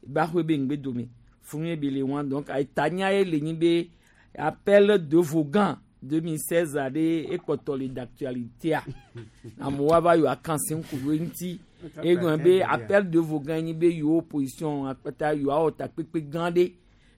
B: baxoe be ŋgbe dome funu be le wa donc etanya ye le nyi be appel de Vogan deux mille seize aɖe ekpɔtɔ le d'actualité amewo ava yɔ akanse ŋku ŋuti egblɔ be appel de Vogan nyi be yewo opposition akpata yewoawɔ takpekpe gã ɖe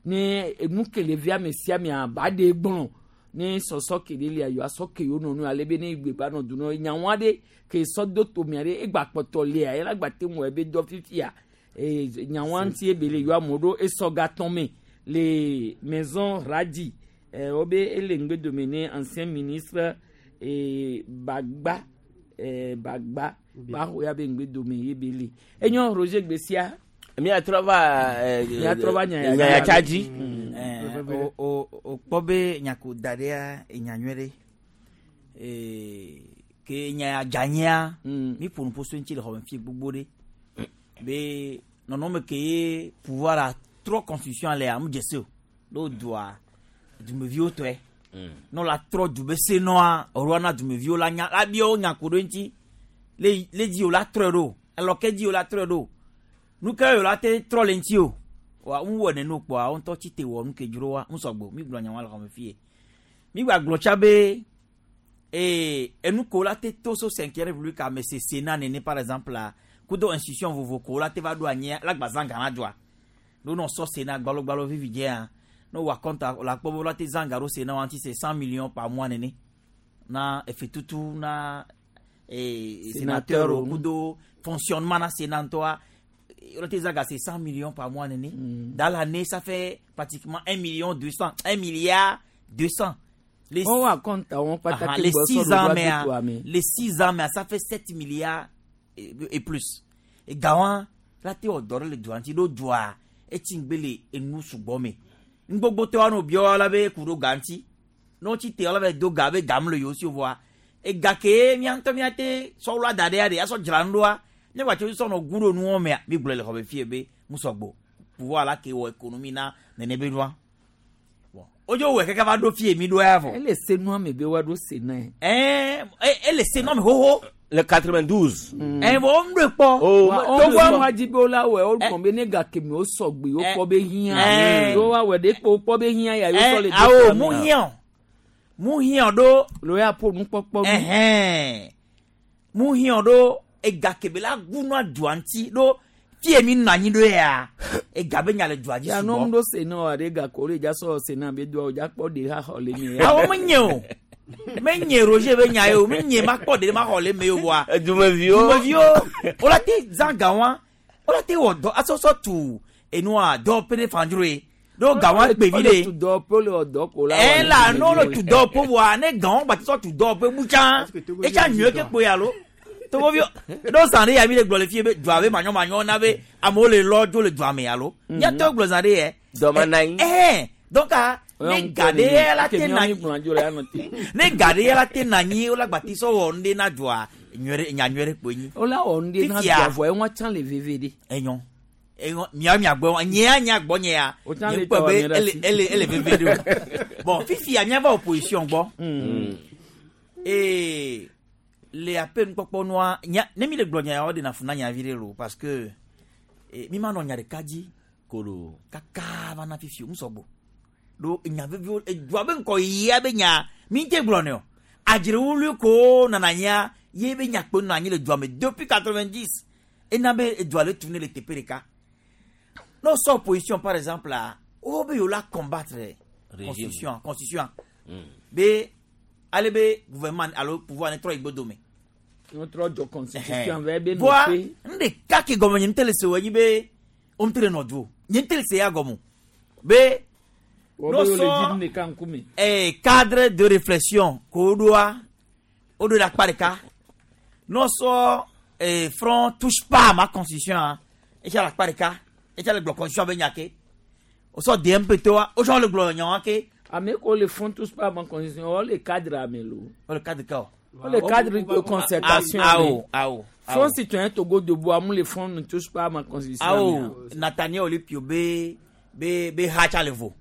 B: ne enu kele via me sia mea ba ɖe gblɔ ne sɔsɔ ke ɖe lia yewoa sɔ ke yewo nɔnɔe ale be ne gbe ba nɔ du nɔ nyawo aɖe ke sɔ do tomea ɖe egba kpɔtɔ lia yɛlɛ gba te ŋu ebe dɔ fifia ee nyawoa ŋuti ebe le yewoa amewo ɖo esɔ gatɔn me le maison radi eh, wobe ele ŋgbe dome ne ancien ministre eh, Bagba eh, Bagba baxɔ ya be ŋgbe dome ye be le enyo Roger Gbessia
A: miatrɔ va
B: miatrɔ va
A: nyayatsa dzi.
C: o o o kpɔ be nyako da ɖea enya nyuie ɖe ke nya dzanyia mi ƒo nuƒo so ŋuti le xɔme fi gbogbo ɖe be nɔnɔme ke ye pouvoir a trɔ constitution lea mu dze se o ɖo dua dumeviwo tɔe ne la trɔ du be se nɔa ɔɖoa na dumeviwo la nya la bia wo nya ko ɖo ŋuti le le dzi wo la trɔe ɖo alɔke dzi wo la trɔe ɖo nu ke wo la te trɔ le ŋuti o wa ŋu wɔ nene kpɔa wo ŋutɔ tsi te wɔ nu ke dzro wa ŋu sɔgbɔ mi gblɔ nya wa le xɔme fie mi gba gblɔ tsa be ee enu ko la te to so cinquième république ame se sénat nene par exemple la kudo institution vovo ko la te va ɖo anyi la gba zã gã na dzoa ɖo nɔ sɔ sénat gbalogbalo vivi dzea no wa compte la kpɔ be la te zã ga ɖo sénat wa ŋuti c'est cent millions par mois nene na efetutu na ee sénateur kudo fonctionnement na sénat ŋutɔa la te zã ga c'est cent millions par mois nene mm. Dans l'année ça fait pratiquement un million deux cents un milliard deux cents. Les,
B: on va compte on ah,
C: les six ans mais les six ans mais ça fait sept milliards et, et plus et gawan la te odore le doanti do doa et tingbele enu sugbɔ me ngbogbo te wano bio la be kuro ganti no ti te la be do ga be gam le yosi voa e ga ke mi anto mi ate so lo adade ade aso jrandoa ne wa ti so no guro nu o me mi gblɔ le xobe fie be musogbo pouvoir la ke wo économie na nene be doa ojo wɛ kɛkɛ va ɖo fie mi ɖo ya vɔ.
B: ele se nua me be wa ɖo se na ye.
C: ɛɛ ele se nua me xoxo.
A: Le quatre-vingt-douze.
C: Ɛɛ bɔn o ɖo kpɔ.
B: O togo wa dzi be wo la wɛ o gblɔ be ne gake me o sɔgbe o kpɔ be hiã. Yo wa wɛ de kpɔ o kpɔ be hiã ya yo sɔ le.
C: Awo mu hiã mu hiã ɖo.
B: Lo ya ƒo nukpɔkpɔ.
C: Ɛhɛn mu hiã ɖo egake be la gu nua dua ŋuti ɖo. Fie mi nɔ anyi ɖo ya ega be nya le dua dzi
B: sugbɔ.
C: Yanɔ
B: ŋu ɖo sena wa ɖe gake o le dza sɔ sena be doa o dza kpɔ ɖe ha xɔ le mi.
C: Awɔ me nye o me nye Roger be nya ye o me nye ma kpɔ ɖe ma xɔ le me o wa.
A: Dumeviwo
C: dumeviwo o la te zã ga wa Wala te wɔ dɔ asɔsɔ tu enua dɔ pe ne fandzro ye. Ɖo gawa gbevi
B: le.
C: Le.
B: Tu dɔ pe le wɔ dɔ ko la.
C: Ɛ la n'o le tu dɔ pe wa ne gawo gba ti sɔ tu dɔ pe bu tsã. Etsa nyuie ke kpoe alo. Togovi ɖo zã ɖe ya mi le gblɔ le fie be dua be manyɔmanyɔ na be amewo le lɔ dzo le dua me alo. Míatɔ gblɔ zã ɖe yɛ.
A: Dɔma na anyi.
C: Ɛhɛn donc ne ga ɖe la te na ne ga ɖe la te na anyi wola gba ti sɔ wɔ nu ɖe na dua nyuie ɖe nya nyuie ɖe kpoe nyi.
B: Wola wɔ nu ɖe na dua vɔ eŋua tsã le veve ɖe.
C: Enyɔ enyɔ mia mia gbɔ nyea nya gbɔ nyea nye kpɔ be ele ele ele veve ɖe o. Bon fifia míava opposition gbɔ. Ee le aƒe nukpɔkpɔ nua nya ne mi le gblɔ nya yawo ɖe na fu na nya vi ɖe lo parce que mi ma nɔ nya ɖeka dzi.
A: Kolo.
C: Kaka va na fifi o musɔgbɔ. Ɖo nya veviwo edua be ŋkɔ yia be nya mi te gblɔ ne o. Adzrewului ko nana nyia ye be nya kpe nɔ anyi le dua me depuis quatre-vingt-dix ena be edua le tu ne le teƒe ɖeka. N'o sɔ opposition par exemple la wo be yewo la combattre constitution constitution be ale be gouvernement alo pouvoir ne trɔ yi gbɔdome.
B: Ne trɔ dzɔ constitution vɛ be
C: nɔ pe. Voa nuɖeka ke gɔme nye ŋutɔ le se wɔ nyi be wo ŋutɔ le nɔ du o nye ŋutɔ le se ya gɔme be.
B: N'o sɔ
C: eh, cadre de réflexion ko ɖoa wo ɖo ɖe akpa ɖeka n'o sɔ eh, front touche pas à ma constitution etsa le akpa ɖeka etsa le gblɔ constitution be nya ke o sɔ D M P toa o sɔ le gblɔ nya wa ke.
B: Ame ko le front touche pas à ma constitution o le cadre ame lo.
C: O le cadre ka o.
B: O le cadre de concertation.
C: Awo awo.
B: Front citoyen Togo debout amu le front ne touche pas à ma constitution.
C: Awo Nathaniel Olympio be be be ha tsa le vo.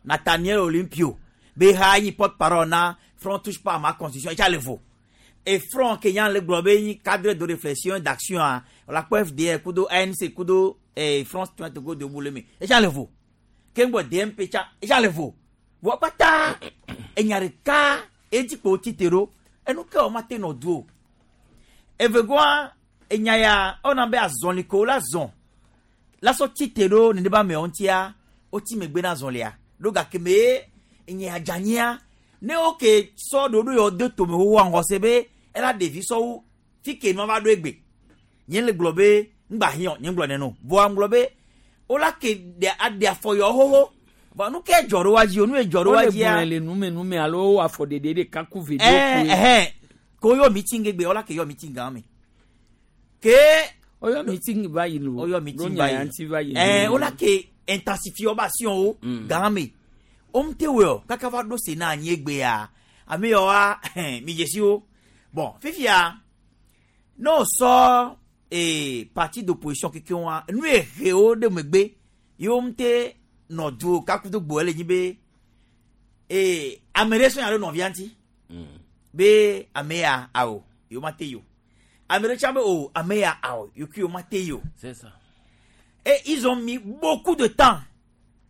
C: Nathaniel Olympio be ha yi porte-parole na front touche pas à ma constitution etsa le vo. Et front Kenyan le gblɔ be nyi cadre de réflexion d'action a la kpɔ F D R kudo A N C kudo eh, Front citoyen Togo debout le me etsa le vo. Kengbo D M P tsa etsa le vo. Vɔ kpata enya ɖeka edzi kpo tsi te ɖo enu ke wo ma te nɔ du o. Evegoa enya ya ewɔna be azɔli ko la zɔn la sɔ tsi te ɖo nenema amewo ŋutia wotsi megbe na azɔlia ɖo gake me enya adzanyia ne wo ke sɔ ɖoɖo yawo de tome xoxoa ŋgɔ se be ela ɖevi sɔwo fi ke nua va ɖo egbe nye le gblɔ be ŋgba hiã nye gblɔ neno vɔa ŋgblɔ be wola ke ɖe aɖe afɔ yawo xoxo. Bon, nu ke dzɔ ɖo wa dzi o nu ye dzɔ ɖo wa dzia.
B: O le gblɔe le nume nume alo afɔɖeɖe ɖeka ku vedo.
C: Ɛɛ ɛhɛn ko yɔ meeting egbe wala ke yɔ meeting gã me. Ke.
B: O yɔ meeting va yi lo.
C: O yɔ meeting va yi. Ɛɛ wala ke intensifier ba action o gã me. O mu te wɔ o kaka va ɖo Sénat anyi egbea ame yɔ wa mi dzesi wo. Bon fifia n'o sɔ ee parti d'opposition keke wa nu ye he wo ɖe megbe ye wo mu te. Nɔ du kakudo gbo ele nyi be ee ame ɖe sɔnya ɖe nɔvia ŋuti be ame ya awo yewo ma te yi o ame ɖe tsã be o ame ya awo yewo ma te yi o.
A: C'est ça.
C: Et ils ont mis beaucoup de temps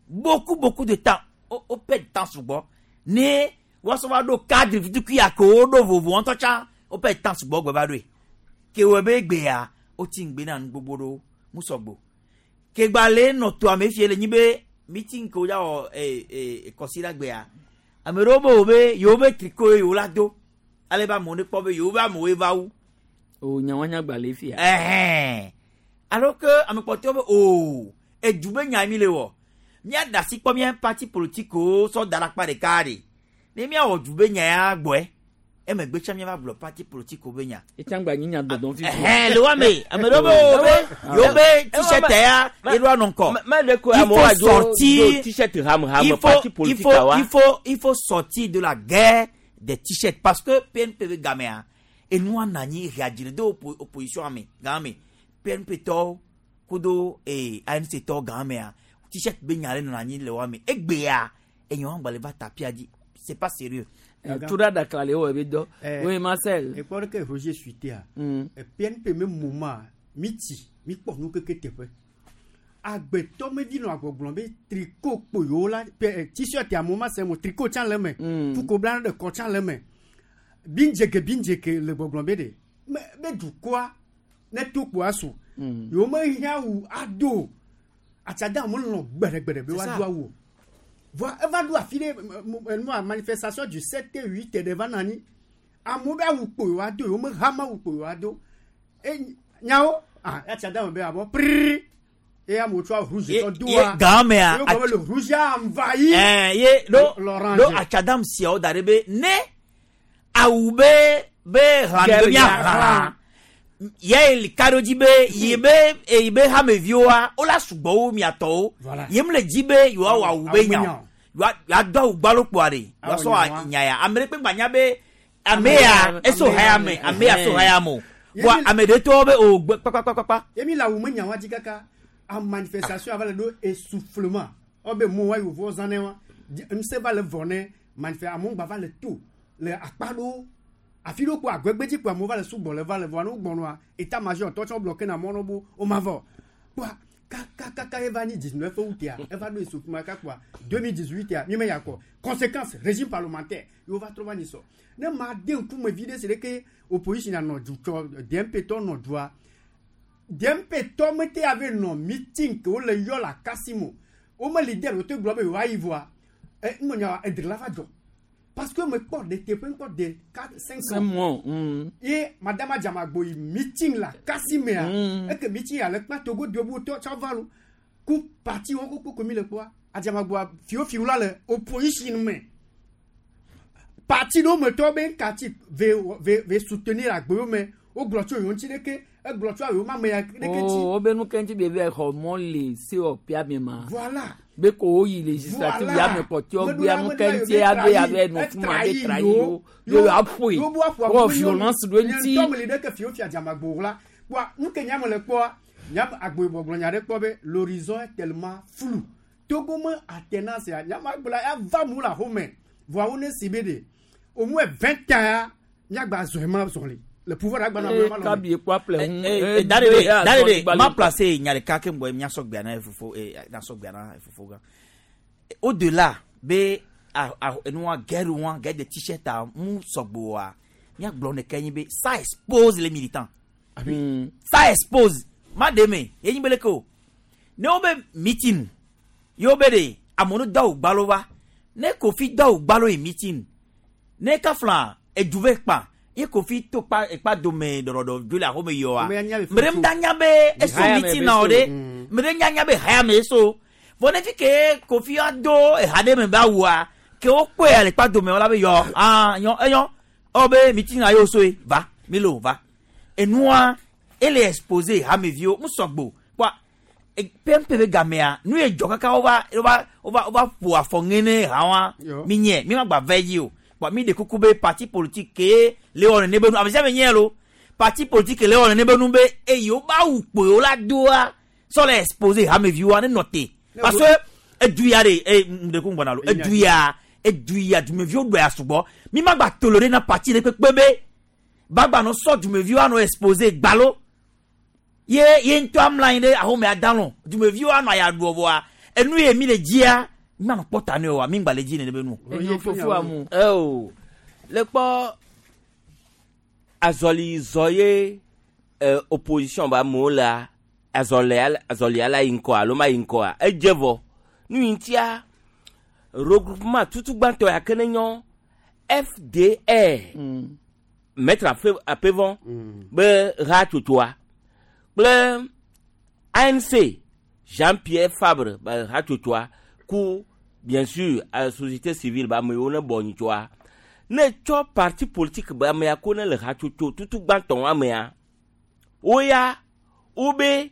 C: beaucoup beaucoup de temps o o perd temps sugbɔ ne woasɔ va ɖo cadre vitukui ya ke wo ɖo vovo ŋutɔ tsã o perd temps sugbɔ gbe va ɖoe ke wɔ be egbea wotsi ŋgbe na nu gbogbo ɖewo musɔgbo kegba le nɔ to ame fie le nyi be meeting ko ya wɔ ee ee kɔsi gbea ame ɖewo be wo be yewo be triko ye yewo la do ale be amewo ne kpɔ be yewo be amewoe va wu.
B: O nyawanya gbalẽ fia.
C: Ɛhɛn alors que ame kpɔtɔewo be o edu be nya mi le wɔ míaɖe asi kpɔ mía parti politique wo sɔ da ɖe akpa ɖeka ɖe ne míawɔ du be nya ya gbɔe emegbe tsã míava gblɔ parti politique wo be nya.
B: Etsã gba nyi nya dɔdɔm fifi.
C: Ɛhɛn le wa me ame ɖewo be wo be yewo be t-shirt ya ye ɖo anɔ ŋkɔ.
A: Il faut sortir t-shirt ham ham parti politique wa.
C: Il faut il faut sortir de la guerre des t-shirts parce que P N P be gamea enua nanyi reagir de opposition ame game P N P tɔ kudo ee A N C tɔ gamea t-shirt be nya le nɔ anyi le wa me egbea enyo gba le va tapia dzi c'est pas sérieux.
B: Tura dakla le wo ebe dɔ. Oui Marcel.
P: Ekpɔ ɖeke Roger suitea. P N P me moment mi tsi mi kpɔ nu keke teƒe. Agbetɔ me vi nɔ agbɔgblɔ be tricot kpo yewo la t-shirt amewo ma se mo tricot tsã le eme. Fuko bla ɖe kɔ tsã le eme. Bindzeke bindzeke le gbɔgblɔ be ɖe me be dukɔa ne to kpoa su. Yewo me hiã wu ado. Atsada amewo lɔ gbeɖegbeɖe be woado awu o. Voilà, elle va nous affiler une manifestation du sept et huit devant nani. Amewo be awu kpo yewoado, yewo me hama awu kpo yewoado. E nyawo Ah, atsadame be abɔ prrr eye amewo tsɔ rouge tsɔ doa.
C: Gamea.
P: Ye gɔme le rouge a envahi.
C: Ɛɛ ye ɖo
P: l'orange.
C: Ɖo atsadam siawo da ɖe be ne awu be be hlã be mia hlã ye li ka ɖo dzi be yi be eyi be hameviwoa wola sugbɔ wo miatɔwo ye mu le dzi be yewoawɔ awu be nya o yewoa do awu gbalo kpoa ɖe yewoasɔ nya ya ame ɖe kpe gba nya be ame ya eso haya me ame ya so haya me o voa ame ɖe tɔwo be o gbe kpakpakpakpa.
P: Ye mi le awu me nya wa dzi kaka a manifestation ava le ɖo essoufflement ɔ be mo wa yewo zã ne wa ŋusẽ va le vɔ ne manifeste amewo gba va le to le akpa ɖewo afi ɖewo kpo agbɛgbɛdzi kpo amewo va le sugbɔ le va le vɔa ne wo gbɔnɔa état major tɔ tsɔ bloqué na mɔ no bo wo ma vɔ kpoa kakakaka eva nyi dix-neuf août ya eva ɖo essoufflement kaka kpoa deux mille dix-huit ya mi me ya kɔ conséquence régime parlementaire yewo va trɔ va nyi sɔ ne ma de ŋkume vi ɖe si ɖe ke opposition nɔ du tsɔ D M P tɔ nɔ dua D M P tɔ mete ave nɔ meeting ke wole yɔ le akasimo wo me leader wo te gblɔ be yewoayi vɔa ɛ ŋmenya edre la va dzɔ parce que me kpɔ de teƒe ŋkpɔ de quatre cinq
B: Cinq mois. Mm.
P: Ye madame Adjamagbo yi meeting la kasimea
B: Mm.
P: eke meeting ya le kpa Togo dobu tɔ tsɔ va lo ku parti wɔn koko komi le kpɔa Adjamagboa fiwo fiwo la le opposition me parti ɖewo me tɔwo be ŋkati ve ve ve soutenir agbewo me wogblɔ tso yewo ŋuti ɖeke egblɔ tso yewo ma me ya ɖeke ŋuti.
B: Oh, wo be nu ke ŋuti be be xɔ mɔ le C O P me ma.
P: Voilà.
B: Be ko wo yi législative
P: Voilà.
B: ya me kpɔtɔ
P: Meɖo
B: gbea
P: la
B: nu
P: meɖo
B: ke
P: la
B: ŋuti
P: yewo
B: ya be
P: trahi,
B: abe nɔ fuma be
P: etrahi
B: trahi
P: yewo.
B: wo ye aƒoe
P: Yewo bu aƒoa
B: wɔ
P: bu
B: violence ɖo
P: nye
B: ŋuti.
P: ŋutɔ me li ɖe ke fiwo fia Adjamagbo la kpoa nu ke nya me le kpɔa nya agbo gblɔ nya ɖe kpɔ be l'horizon est tellement flou. Togo me alternance ya nya ma gblɔ ya va mu le axome voa wo ne si be de au moins vingt ans ya miagba zɔ ema zɔli le pouvoir agba na
B: Eh,
P: ma lɔ
B: kabi ekpɔ aƒle ŋu.
C: Eh, eh, da de da de ma placé nya ɖeka ke ŋgbɔ miasɔ gbea na fofo eh, nasɔ gbea na fofo gã au delà be a a enua guerre wa guerre de t-shirt a mu sɔgbɔ wa miagblɔ ɖeka nyi be ça expose les militants, ça expose ma de me ye nyi be leke o ne wo be meeting ye wo be de amewo do awu gbalo va ne Kofi do awu gbalo yi meeting ne kafla edu ve kpa ye Kofi to kpa ekpa dome ɖɔɖɔɖɔ dzo le axome yɔa
P: Ame ya nya be
C: me ɖe ŋda nya be eso
B: Haya me
C: meeting
B: be
C: na o
B: so.
C: ɖe me ɖe nya nya be haya me eso vɔ ne fi ke Kofi ado eha ɖe me be awua ke wokpɔe le kpa dome wala be yɔ ah nyɔ enyɔ ɔ be meeting na ye wo soe va mi lo va enua ele exposé hameviwo ŋusɔgbo kpɔa P M P be gamea nu ye dzɔ kaka wova wova wova wova ƒo afɔ ŋe ne hawa
P: Yo.
C: mi nye mi ma gba vɛ dzi o kpɔa mi de kuku be parti politique ke le wɔ nene be nu ame sia ame nye lo parti politique le wɔ nene be nu be eyi wo ba wu kpoe wo la doa sɔ le exposé hameviwoa ne nɔ te parce que edu ya de e ŋɖe gbɔna lo edu ya edu ya dumeviwo ɖɔ ya sugbɔ mi ma gba toléré na parti ɖe kpekpe be bagba nɔ sɔ dumeviwo anɔ exposé gbalo ye ye ŋutɔ amla anyi ɖe ahome adalɔ dumeviwo anɔ aya ɖuɔ vɔa enu ye mi le dzia mi ma nɔ kpɔ ta ne oa mi ŋgba le dzi nene be nu.
B: Enyo fofo amu.
A: Eo le kpɔ azɔli zɔ ye eh, opposition ba amewo lea azɔlia azɔlia la yi ŋkɔ alo ma yi ŋkɔa edze vɔ nu yi ŋutia regroupement tutu gbãtɔ ya ke ne nyɔ F D R maître afe apevɔ be hatsotsoa kple A N C Jean-Pierre Fabre be hatsotsoa ku bien sûr eh, société civile be ame yiwo ne bɔ nyitsoa ne tsɔ parti politique be amea ko ne le hatsotso tutu gbãtɔ amea woya wobe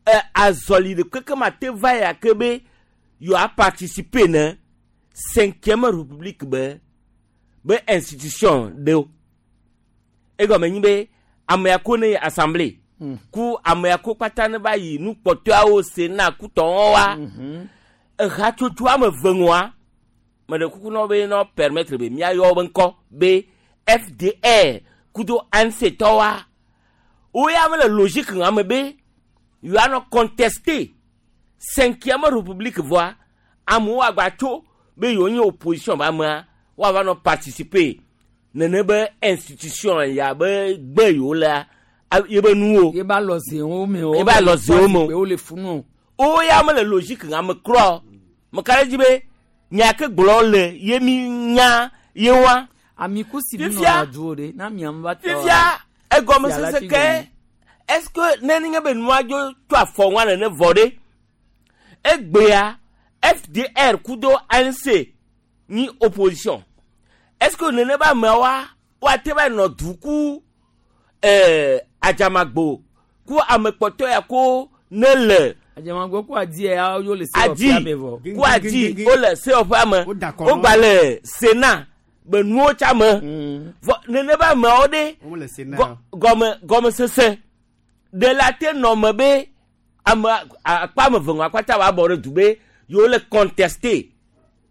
A: eh, azɔli ɖe keke ma te va ya ke be yewoa participer ne cinquième république be be institution ɖewo egɔme nyi be amea ko ne yi assemblée ku amea ko kpata ne va yi nukpɔtɔawo sénat ku tɔwɔ wa ehatsotso ame eve ŋua meɖe kuku na wo be nɔ permettre be míayɔ wo be ŋkɔ be F D R kudo A N C tɔwa wo ya mele logique ŋa me be yewoanɔ contester cinquième république vɔa amewo agba tso be yewo nye opposition be amea woava nɔ participer nene be institution ya be gbe yewo lea a- ye be nuwo
B: ye ba lɔ zewo me o.
A: Ye ba lɔ zewo me o.
B: Wo le funu.
A: Wo ya mele logique ŋa me krɔ meka ɖe dzi be nya ke gblɔ le ye mi nya ye wa
B: Ami ku si mi
A: Fifia-
B: nɔ du o de na miam va tɔ.
A: fifia egɔmesese ke Est-ce que ne nye be nua dzo tso afɔ ŋua nene vɔ ɖe egbea F D R kudo A N C nyi opposition, est-ce que nene be ameawoa woate va nɔ du ku ɛɛ Adzamagbo ku ame kpɔtɔ ya ko ne le
B: Adzamagbo ku adi ya yo le
A: adi
B: sewɔƒea me vɔ.
A: Ku adi wole sewɔƒea me, wogba le Sénat be nuwo tsa me vɔ nene be ameawo ɖe
P: Wole Sénat.
A: gɔ- gɔme gɔmesese ɖe la te nɔ me be ame akpa ame eve ŋu akpata wa bɔ ɖe du be yewo le contester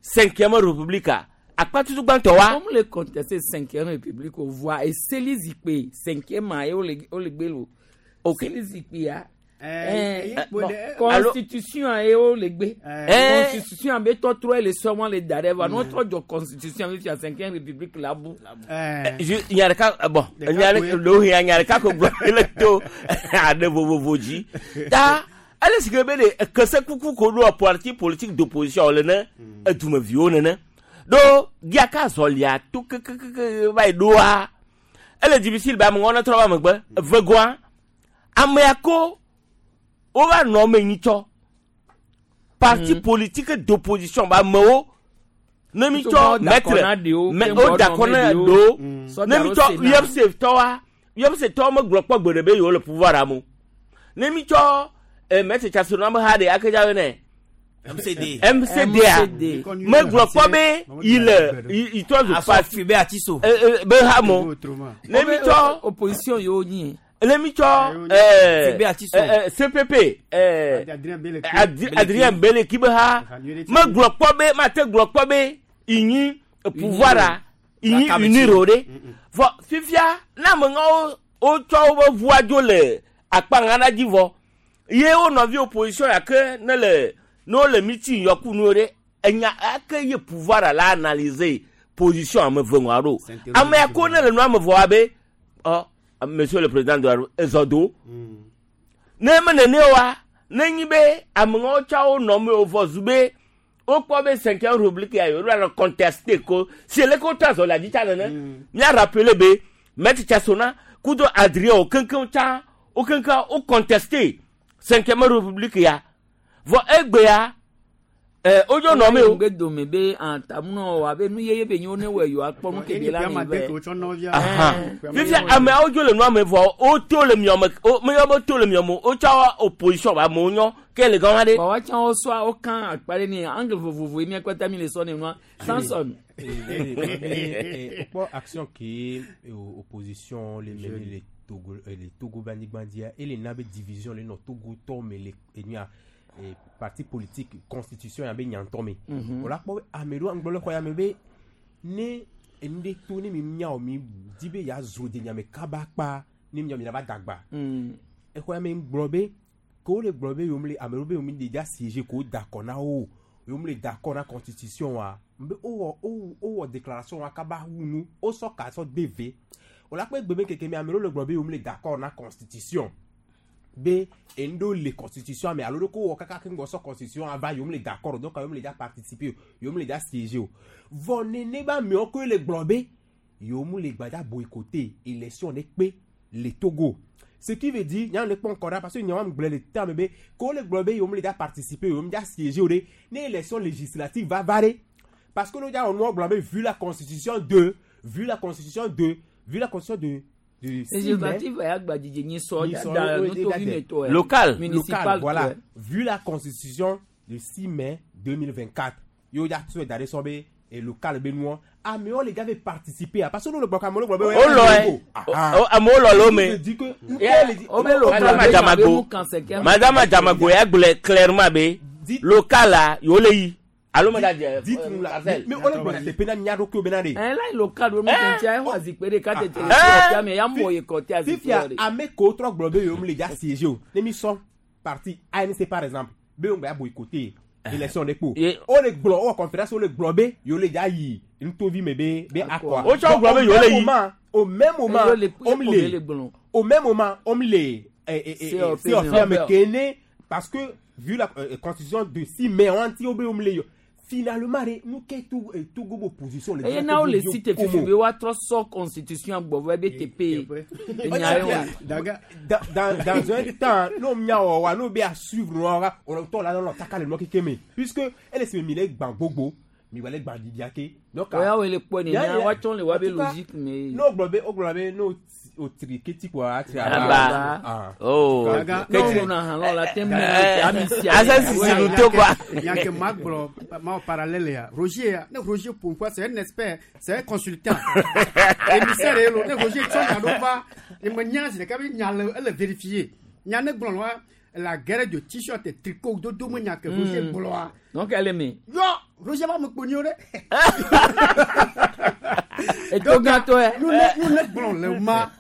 A: cinquième république a akpa tutu gbãtɔ wa.
B: Wɔn le contester cinquième république o voa eseli zikpe cinquième a ye wole wole gbe lo.
A: Ok.
B: Eseli zikpe ya.
P: Eh,
B: Eh,
P: eh,
B: bon,
P: eh,
B: constitution a ye wole gbe.
A: Eh.
B: Constitution be tɔtrɔ ye le sɔmɔ le da ɖe va n'o trɔ jɔ constitution be fia cinquième république la bu.
A: Ju- nya ɖeka eh, bon nya ɖe ɖewohĩ nya ɖeka ko gblɔ le to aɖe vovovo dzi ta ele si ke be ɖe kese kuku ko ɖo parti politique d'opposition le ne edumeviwo nene ɖo giaka zɔlia to kekekeke va yi ɖoa ele difficile be ameŋɔ ne trɔ va megbe evegoa amea ko wova nɔ eme nyitsɔ parti politique d'opposition ba amewo ne mi tsɔ maître mɛ o da kɔ na ɖewo ne mi tsɔ U F C tɔwa U F C tɔwo megblɔ kpɔ gbe ɖe be yewo le pouvoir am o ne mi tsɔ eh, maître Tsatsona be ha ɖe akedza be ne
C: M C D.
A: M C D a megblɔ kpɔ be yi le yi yi trɔ zu parti
C: be atiso
A: be ha mo ne mi tsɔ
B: opposition yewo nyi.
A: Ne mi tsɔ eh,
C: Be atiso.
A: eh, eh, C P P eh,
P: Adrien Beleki.
A: Adi- Adrien Beleki be ha megblɔ kpɔ be mate gblɔ kpɔ be inyi pouvoir a inyi unir o ɖe vɔ fifia ne ameŋawo wotsɔ woƒe ʋua dzo le akpa ŋa dzi vɔ ye wo nɔvi opposition ya ke ne le ne wole meeting yɔku nuwo ɖe enya ake ye pouvoir la analyser position ame eve ŋua ɖo ame ya ko ne le nua me vɔ be ɔ monsieur le président de la ezɔ do ne me nene wa ne nyi be ameŋawo tsɔ wo nɔ me wo vɔ zu be wokpɔ be cinquième république ya yewo le contester ko si ele ko tɔ azɔ le adzitsa nene mía rappeler be maître Tsatsona kudo Adrien wo keŋkeŋ tsã wo keŋkeŋ wo contester cinquième république ya vɔ egbea ɛ wodzo nɔ me o.
B: Ŋgbe dome be antamunɔ wa be nu yeye be nyo ne wɔ yewoa kpɔ nu kebe la mi vɛ.
A: Ahan. Fifia ameawo dzo le nua me vɔ woto le miɔme wo meyɔ be to le miɔme o wotsɔ opposition ba amewo nyɔ ke le gɔma ɖe.
B: Wa wa tsã wo sɔ wo kan akpa ɖe ni angle vovovo ye mía kpata mi le sɔ ne nua Samson.
W: Kpɔ action ke opposition le mene le Togo le Togo banigbandia ele na be division le nɔ Togo tɔ me le enuya parti politique constitution ya be nyantɔ me.
B: Mhm.
W: O la kpɔ be ame ɖewo ŋgblɔ le xɔ ya me be ne enu ɖe to ne mi miawo mi di be ya zro de nyame kaba kpa ne miawo mi la va dagba. Exɔ ya me gblɔ be ke wo le gblɔ be yewo le ame ɖewo be yewo mi le dza siéger ko da akɔ na wo yewo mi le da akɔ na constitution wa be wowɔ wo wowɔ déclaration wa kaba wu nu wosɔ ka sɔ de ve o la kpɔ egbe be keke me ame ɖewo le gblɔ be yewo mi le da akɔ na constitution be enu ɖewo le constitution me alo ɖe ko wɔ kaka ke ŋgɔ sɔ constitution ava yewo mi le d'accord donc yewo mi le dza participer o yewo mi le dza siéger o vɔ nene be amewo koe le gblɔ be yewo mu le gbadza boycotter élection ɖe kpe le Togo, ce qui veut dire nya le kpɔ ŋkɔ ɖa parce que nya wa gblɔ le terme be ke wole gblɔ be yewo mu le dza participer yewo mu dza siéger o ɖe ne élection législative va va ɖe parce que n'o dza wɔ nua gblɔ be vu la constitution de vu la constitution de vu la constitution de de six mai
B: Législative ya gbadzidze nyi sɔ
W: Nyi sɔ,
B: da
W: oui,
B: nutovi me tɔ yɛ.
A: Local.
B: Municipal
W: local, voilà.
B: tɔ yɛ.
W: Vu la constitution du six mai deux mille vingt-quatre, yo ya tso da ɖe sɔ be e local be nuɔ amewo le dza ve participer parce que n'o le gbɔ ka amewo le gblɔ be.
A: O lɔ yɛ O- amewo lɔ le wo me.
B: O be local
A: Madame
B: be
A: Adjamagbo
B: mu kan cinquième.
A: Madame Adjamagbo ya gblɔe clairement be local la yewo le yi alo me da dze.
W: Dites-nous la mais o le gblɔ teƒe na mía ɖokuiwo bena ɖe.
B: Ɛ la yi local do nu kɛntɛ exɔ azikpe ɖeka tete le
W: Ah.
B: sɔ ame ya mɔ ye kɔte azikpe
W: Fifia
B: ɖe.
W: ame kewo trɔ gblɔ be yewo mu le dza siéger o ne mi sɔ parti A N C par exemple be yewo ŋgba boycotter élection ɖe kpo o le gblɔ o wɔ conférence o le gblɔ be yewo le dza yi nutovi me be be akɔa.
A: Wo tsɔ gblɔ be yewo le yi.
W: Au même moment
B: Yewo le-
W: o
B: ye le
W: le
B: gblɔ.
W: Au même moment o le
B: C O P
W: C O P me
B: me.
W: kene parce que vu la euh, constitution de six mai wɔn ti wo be yewo mu le yɔ Finalement re nu ke to Togo be opposition le
B: eye na wo le cité fifi be woatrɔ sɔ constitution gbɔvɔ ebe teƒe enya ye wɔn.
W: Dans, dans, dans un temps, nous miawo nous be à suivre nous on tɔ la nɔ taka le nɔ keke me puisque ele se mi le gbã gbogbo mi wa le gbã didiake. Donc
B: oya wo le kpɔ nene woatsɔ le wa be logique me.
W: N'o gblɔ be o gblɔ be n'o o tiri keti quoi a tiri
A: aba. Oh.
B: N'o na hã lɔ la te mu ami sia.
A: Asa sisi nu to quoi.
P: Yanke ma gblɔ ma parallèle ya Roger ya ne Roger pourquoi c'est un expert, c'est un consultant. Émissaire ye lo ne Roger tsɔ nya ɖo va eme nya zi ɖeka be nya le ele vérifier nya ne gblɔ wa la guerre de t-shirt et tricot dodo me nya ke Roger gblɔa.
B: Donc elle est me.
P: Yɔ Roger va me kponi o ɖe.
B: Eto gãtɔ yɛ.
P: Nu ne nu ne gblɔ le ma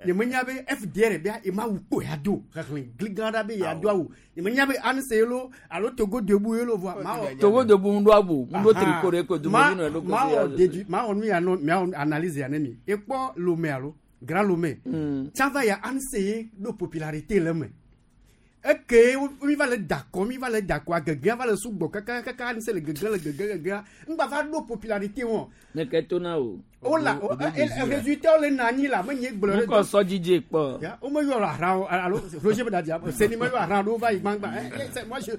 P: nye me nya be F D R bia ema wu kpo ya do xexlẽ gli gã ɖa be ya do awu nye me nya be A N C ye lo alo Togo Debout ye lo voa ma wɔ.
B: Togo Debout ŋu ɖo abu ŋu ɖo tricot ɖe ko dumevi nɔ ɖo
P: ma wɔ déduit ma wɔ nu ya nɔ mia wɔ analyse ya ne mi ekpɔ Lomé alo Grand Lomé tsã va ya A N C ye ɖo popularité le me eke mi va le dakɔ mi va le dakɔ agegea va le sugbɔ kaka kaka A N C le gegea le gegea gegea ŋgba va ɖo popularité wɔn.
B: Ne ke to na o.
P: O la résultat le na anyi la me nye gblɔ.
B: Ŋkɔ sɔ dzidze kpɔ.
P: Ya o me yɔ ahra o alo Roger be dadia seni me yɔ ahra ɖo va yi gbangba eh moi je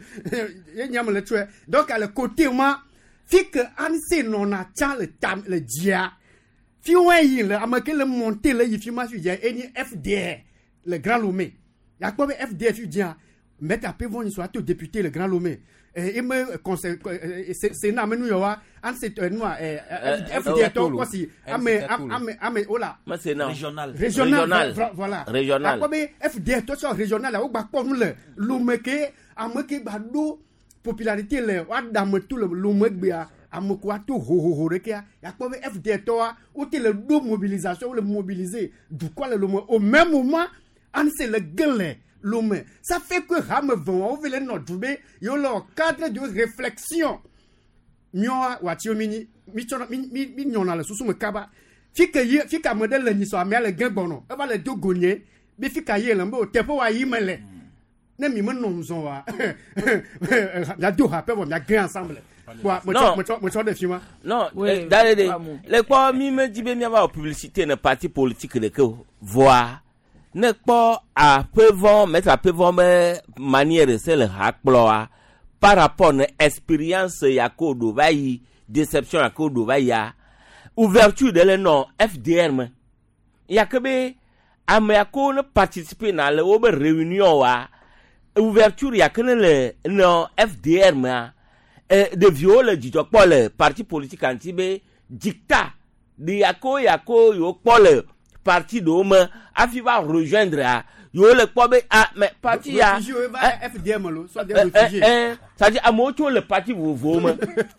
P: ye nya me le tsɔe donc le côté ma fi ke A N C nɔna tsã le ta le dzia fi wɔn yi le ame ke le monter le yi fi ma fi dzia enye F D R le Grand Lomé yakpɔ be F D R fi dzia Maître Apevon soit to député le Grand Lomé et me conseil Sénat me nu yɔ wa an se nua F D R tɔ kɔsi ame ame ame o la.
A: Régional.
P: Régional, voilà.
A: Régional.
P: Akpɔ be F D R tɔ sɔ régional la wo gba kpɔ nu le Lomé ke ame ke gba ɖo popularité le wa da ame to le Lomé gbea ame ko ato hohoho ɖekea yakpɔ be F D R tɔwa wo te le ɖo mobilisation wo le mobiliser dukɔ le Lomé au même moment A N C le ge le Lomé. Ça fait que hame vɔn wo le nɔ du be yewo le cadre de réflexion miɔ wati mi nyi mi tsɔna mi mi mi nyɔna le susu me kaba fi ke ye fi ke ame ɖe le nyisɔ amea le gẽ gbɔnɔ eva le do go nye be fi ka ye le be o teƒe wa yi me le ne mi me nɔ ŋzɔ wa mia do ha pe vɔ mia gẽ ensemble wa metsɔ metsɔ metsɔ ɖe fi ma.
A: Non, da de le kpɔ mi me di be miava wɔ publicité ne parti politique ɖeke o voa ne kpɔ aƒevɔ Maître Aƒevɔ be manière se le ha kplɔa par rapport ne expérience ya ko ɖo va yi déception ya ko ɖo va yia ouverture ɖe le nɔ F D R me ya ke be ame ya ko ne participer na le wo be réunion wa ouverture ya ke ne le nɔ F D R mea eh, ɖeviwo le dzidzɔ kpɔ le parti politique ŋuti be diktat de ya ko ya ko yewo kpɔ le parti ɖewo me hafi va rejoindre a yewo le kpɔ be ah mais parti ya
P: Réfugié va F D M lo soit des réfugiés.
A: C'est-à-dire amewo tso le parti vovovowo me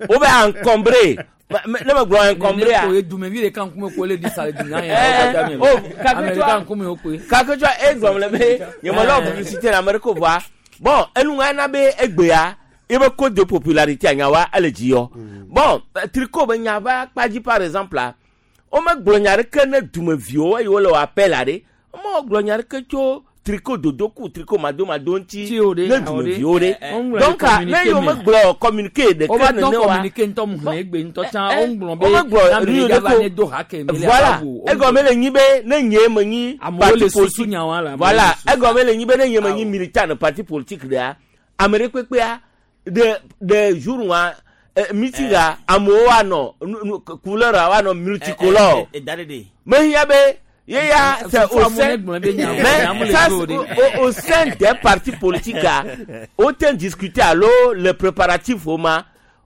A: wo be encombré ne me gblɔ encombré a.
B: Ne dumevi ɖeka ŋkume ko le di sa le dunya
A: Eh, oh,
B: ame ɖeka ŋkume wo koe.
A: Kaketsɔ egblɔm le be nyemelɔ publicité na ame ɖe ko voa bon enu na be egbea ebe code de popularité anyawa ele dzi yɔ bon tricot be nya va kpa dzi par exemple la womegblɔ nya ɖeke ne dumeviwo eye wole wɔ appel a ɖe womegblɔ nya ɖeke tso tricot dodo ku tricot madomado ŋuti ne dumeviwo ɖe donc ne yewo megblɔ communiqué ɖeke
B: Wova dɔn
A: nene wa
B: communiqué ŋutɔ mu xlẽ egbe ŋutɔ tsã woŋgblɔ be
A: womegblɔ
B: ame
A: nu
B: ɖe va
A: ɖe
B: ne do ha ke mi le
A: voilà
B: awu.
A: egɔme le nyi be ne nye me nyi
B: Amewo le
A: parti
B: susu
A: politique
B: nya wa la, amewo
A: voilà
B: le susu.
A: egɔme le nyi be ne nye me nyi militant ne parti politique ɖea ame ɖe kpekpea de de jour wa eh, meeting a amewo anɔ nu- nu- couleur a woanɔ multicolore
C: Da ɖe
A: mehiã be ye ya c'est au sein mais ça c'est au, au sein des partis politiques a wote discuter alo le préparatif wo ma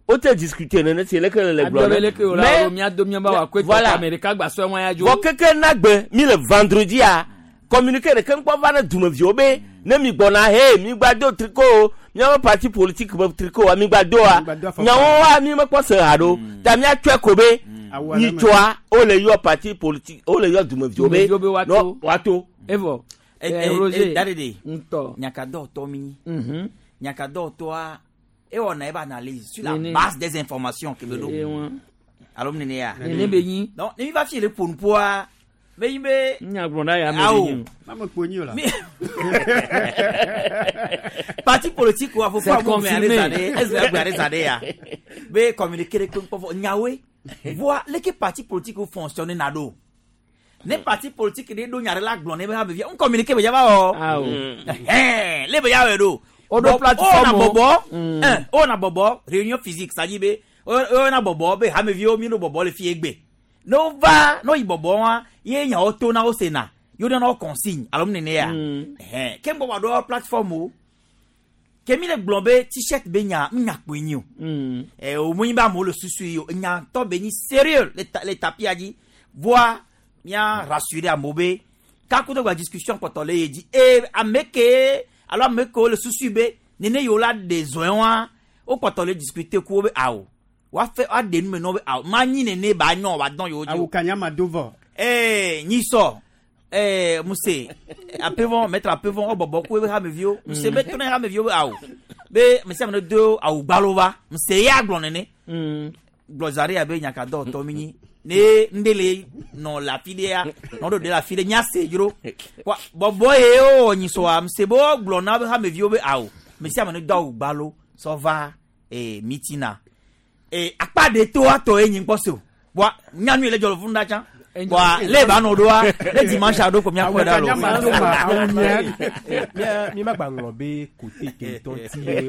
A: wote discuter nene si leke le gblɔ
B: Abiɔ be leke o la
A: mais
B: o mía do mía ba wa koe
A: voilà.
B: tɔ ame ɖeka gba sɔ ŋua ya dzo.
A: vɔ keke nagbe mi le vendredi a communiqué ɖeke ŋkpɔ va ne dumeviwo be ne mi gbɔna he mi gba do tricot o miaƒe parti politique be tricot wa mi gba do wa nyawo wa mi mekpɔ se ha ɖo ta miatsɔe ko be nyitsɔa wole yɔ parti politique wole yɔ dumeviwo be
B: Dumeviwo be woato.
A: no woato.
B: Evɔ. Eh, Roger.
C: Da ɖe
B: Ŋutɔ.
C: Nyakadɔtɔ mi nyi
B: Mhm.
C: nyakadɔtɔa ewɔna ebe analyse sur la
B: Nene.
C: base des informations ke be
B: Eh,
C: ɖo
B: wa.
C: alo nene ya
B: Nene be nyi.
C: Donc ne mi va fi le ƒonuƒoa Be yin be.
B: Nya gblɔ na ya me
C: Awo.
B: ɖe nyi o.
P: Mame kpo nyi o la.
C: Parti politique wa fofo
B: C'est
C: amu me ale
B: confirmé.
C: zã ɖe eze agbe ale zã ɖe ya be communiqué ɖe kpe ŋkpɔ nyawoe voa leke parti politique wo fonctionne na ɖo ne parti politique ɖe ɖo nya ɖe la gblɔ ne be ha vevia ŋ communiqué be ya va wɔ
B: Awo.
C: ɛhɛn le be ya wɔe ɖo
B: O ɖo
C: Bɔ-
B: plateforme
C: o na bɔbɔ
B: Mm.
C: ɛn o na bɔbɔ réunion physique c'est à dire be o o na bɔbɔ be hameviwo mi ɖo bɔbɔ le fie gbe ne wo va ne wo yi bɔbɔ wa ye nyawo to na wo sena ye wo nana wo consigne alo mu nene ya ɛhɛn ke ŋgbɔ wa ɖo plateforme o ke mi le gblɔ be t-shirt be nya nya kpoe nyi o ɛ o mu nyi be amewo le susu yi o nya ŋutɔ be nyi sérieux le ta le tapia dzi voa mía rassurer amewo be kaku gba discussion kpɔtɔ le ye dzi e ame ke alo ame kewo le susu be nene yiwo la ɖe zɔe wa wo kpɔtɔ le discuter ku wo be awo woafe woaɖe nu me na wo be awo ma nyi nene ba nyɔ ba dɔn yewo dzi o
P: Awu kanya ma do vɔ.
C: ee nyisɔ ee muse apevɔ maître apevɔ wo bɔbɔ ku ebe hameviwo muse be to ne hameviwo be awo be mese ame ne do awu gbalo va muse ya gblɔ nene gblɔ za ɖe abe nyakadɔ tɔ mi nyi ne ŋɖe le nɔ le afi ɖea nɔ ɖo ɖe le afi ɖe nya se dzro Wa- bɔbɔ ye wowɔ nyisɔa muse be wo gblɔ na be hameviwo be awo mese ame ne do awu gbalo sɔ va ee mitina ee akpa ɖe to atɔ ye nyi ŋkpɔ se o bɔa nyanu yi le dzɔ le funu ɖa tsã bɔa le ba nɔ ɖoa ne dimanche aɖo ko miakpɔe ɖa lo.
W: mi ma gba ŋlɔ be kote kentɔn ti ye